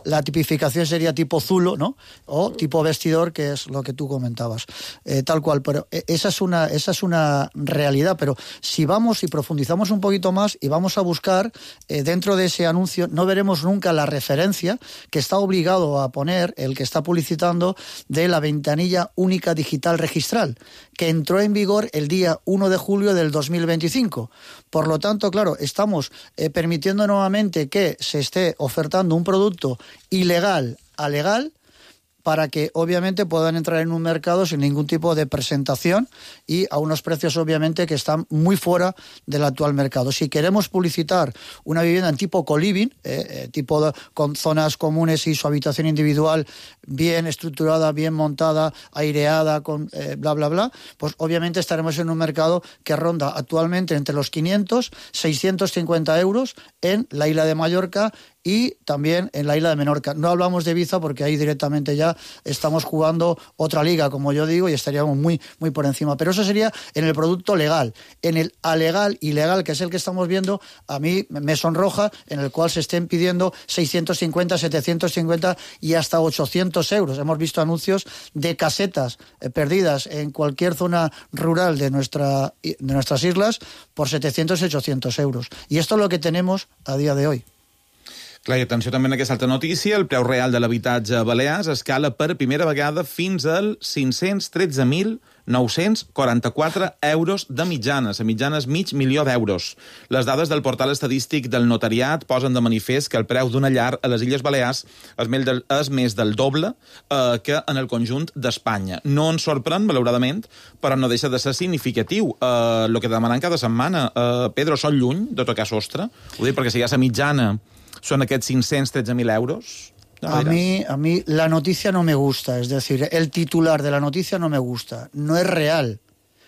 la tipificación sería tipo zulo, ¿no? O tipo vestidor, que es lo que tú comentabas. Eh, tal cual, pero esa es una, esa es una realidad, pero si vamos y profundizamos un poquito más y vamos a buscar eh, dentro de ese anuncio, no veremos nunca la referencia que está obligado a poner el que está publicitando de la ventanilla única digital registral, que entró en vigor el día uno de julio del dos mil veinticinco. Por lo tanto, claro, estamos eh, permitiendo nuevamente que se esté ofertando un producto ilegal a legal para que obviamente puedan entrar en un mercado sin ningún tipo de presentación y a unos precios obviamente que están muy fuera del actual mercado. Si queremos publicitar una vivienda en tipo co-living, eh, eh, tipo de, con zonas comunes y su habitación individual bien estructurada, bien montada, aireada, con eh, bla, bla, bla, pues obviamente estaremos en un mercado que ronda actualmente entre los quinientos, seiscientos cincuenta euros en la isla de Mallorca y también en la isla de Menorca. No hablamos de Ibiza porque ahí directamente ya estamos jugando otra liga, como yo digo, y estaríamos muy, muy por encima. Pero eso sería en el producto legal. En el alegal, ilegal, que es el que estamos viendo, a mí me sonroja, en el cual se estén pidiendo seiscientos cincuenta, setecientos cincuenta y hasta ochocientos euros. Hemos visto anuncios de casetas eh, perdidas en cualquier zona rural de, nuestra, de nuestras islas por setecientos y ochocientos euros. Y esto es lo que tenemos a día de hoy. Clar, i atenció també en aquesta altra notícia, el preu real de l'habitatge a Balears escala per primera vegada fins al cinc-cents tretze mil nou-cents quaranta-quatre euros de mitjana. La mitjana és mig milió d'euros. Les dades del portal estadístic del notariat posen de manifest que el preu d'una llar a les Illes Balears és més del, és més del doble eh, que en el conjunt d'Espanya. No ens sorprèn, malauradament, però no deixa de ser significatiu. Eh, el que demanen cada setmana, eh, Pedro, són lluny de tocar sostre? Ho dic perquè si hi ha la mitjana son aquests cinc-cents tretze mil euros. No a mí, a mí la noticia no me gusta, es decir, el titular de la noticia no me gusta, no es real.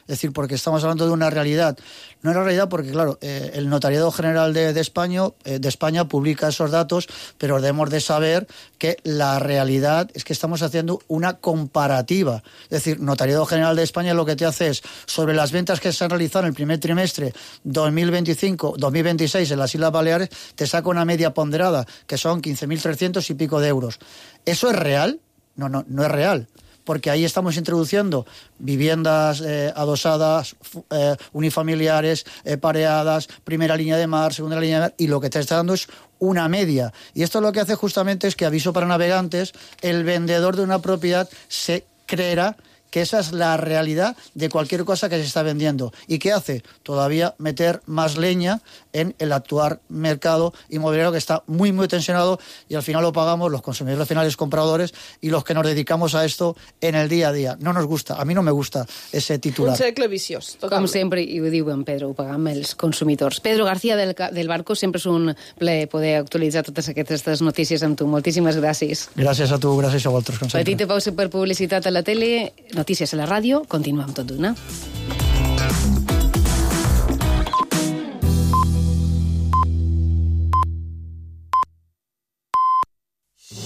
Es decir, porque estamos hablando de una realidad. No es una realidad porque, claro, eh, el Notariado General de, de, España, eh, de España publica esos datos, pero debemos de saber que la realidad es que estamos haciendo una comparativa. Es decir, Notariado General de España lo que te hace es, sobre las ventas que se han realizado en el primer trimestre dos mil veinticinco dos mil veintiséis en las Islas Baleares, te saca una media ponderada, que son quince mil trescientos y pico de euros. ¿Eso es real? No, no, no es real. Porque ahí estamos introduciendo viviendas eh, adosadas, eh, unifamiliares, eh, pareadas, primera línea de mar, segunda línea de mar, y lo que te está dando es una media. Y esto lo que hace justamente es que, aviso para navegantes, el vendedor de una propiedad se creerá que esa es la realidad de cualquier cosa que se está vendiendo. ¿Y qué hace? Todavía meter más leña en el actual mercado inmobiliario, que está muy, muy tensionado, y al final lo pagamos los consumidores finales, compradores, y los que nos dedicamos a esto en el día a día. No nos gusta, a mí no me gusta ese titular. Un cercle viciós, totalment. Com sempre, i ho diuen, Pedro, ho pagam els consumidors. Pedro García del, del Barco, sempre és un plaer poder actualitzar totes aquestes notícies amb tu. Moltíssimes gràcies. Gràcies a tu, gràcies a vosaltres. Petita pausa per publicitat a la tele, notícies a la ràdio, continuem tot d'una.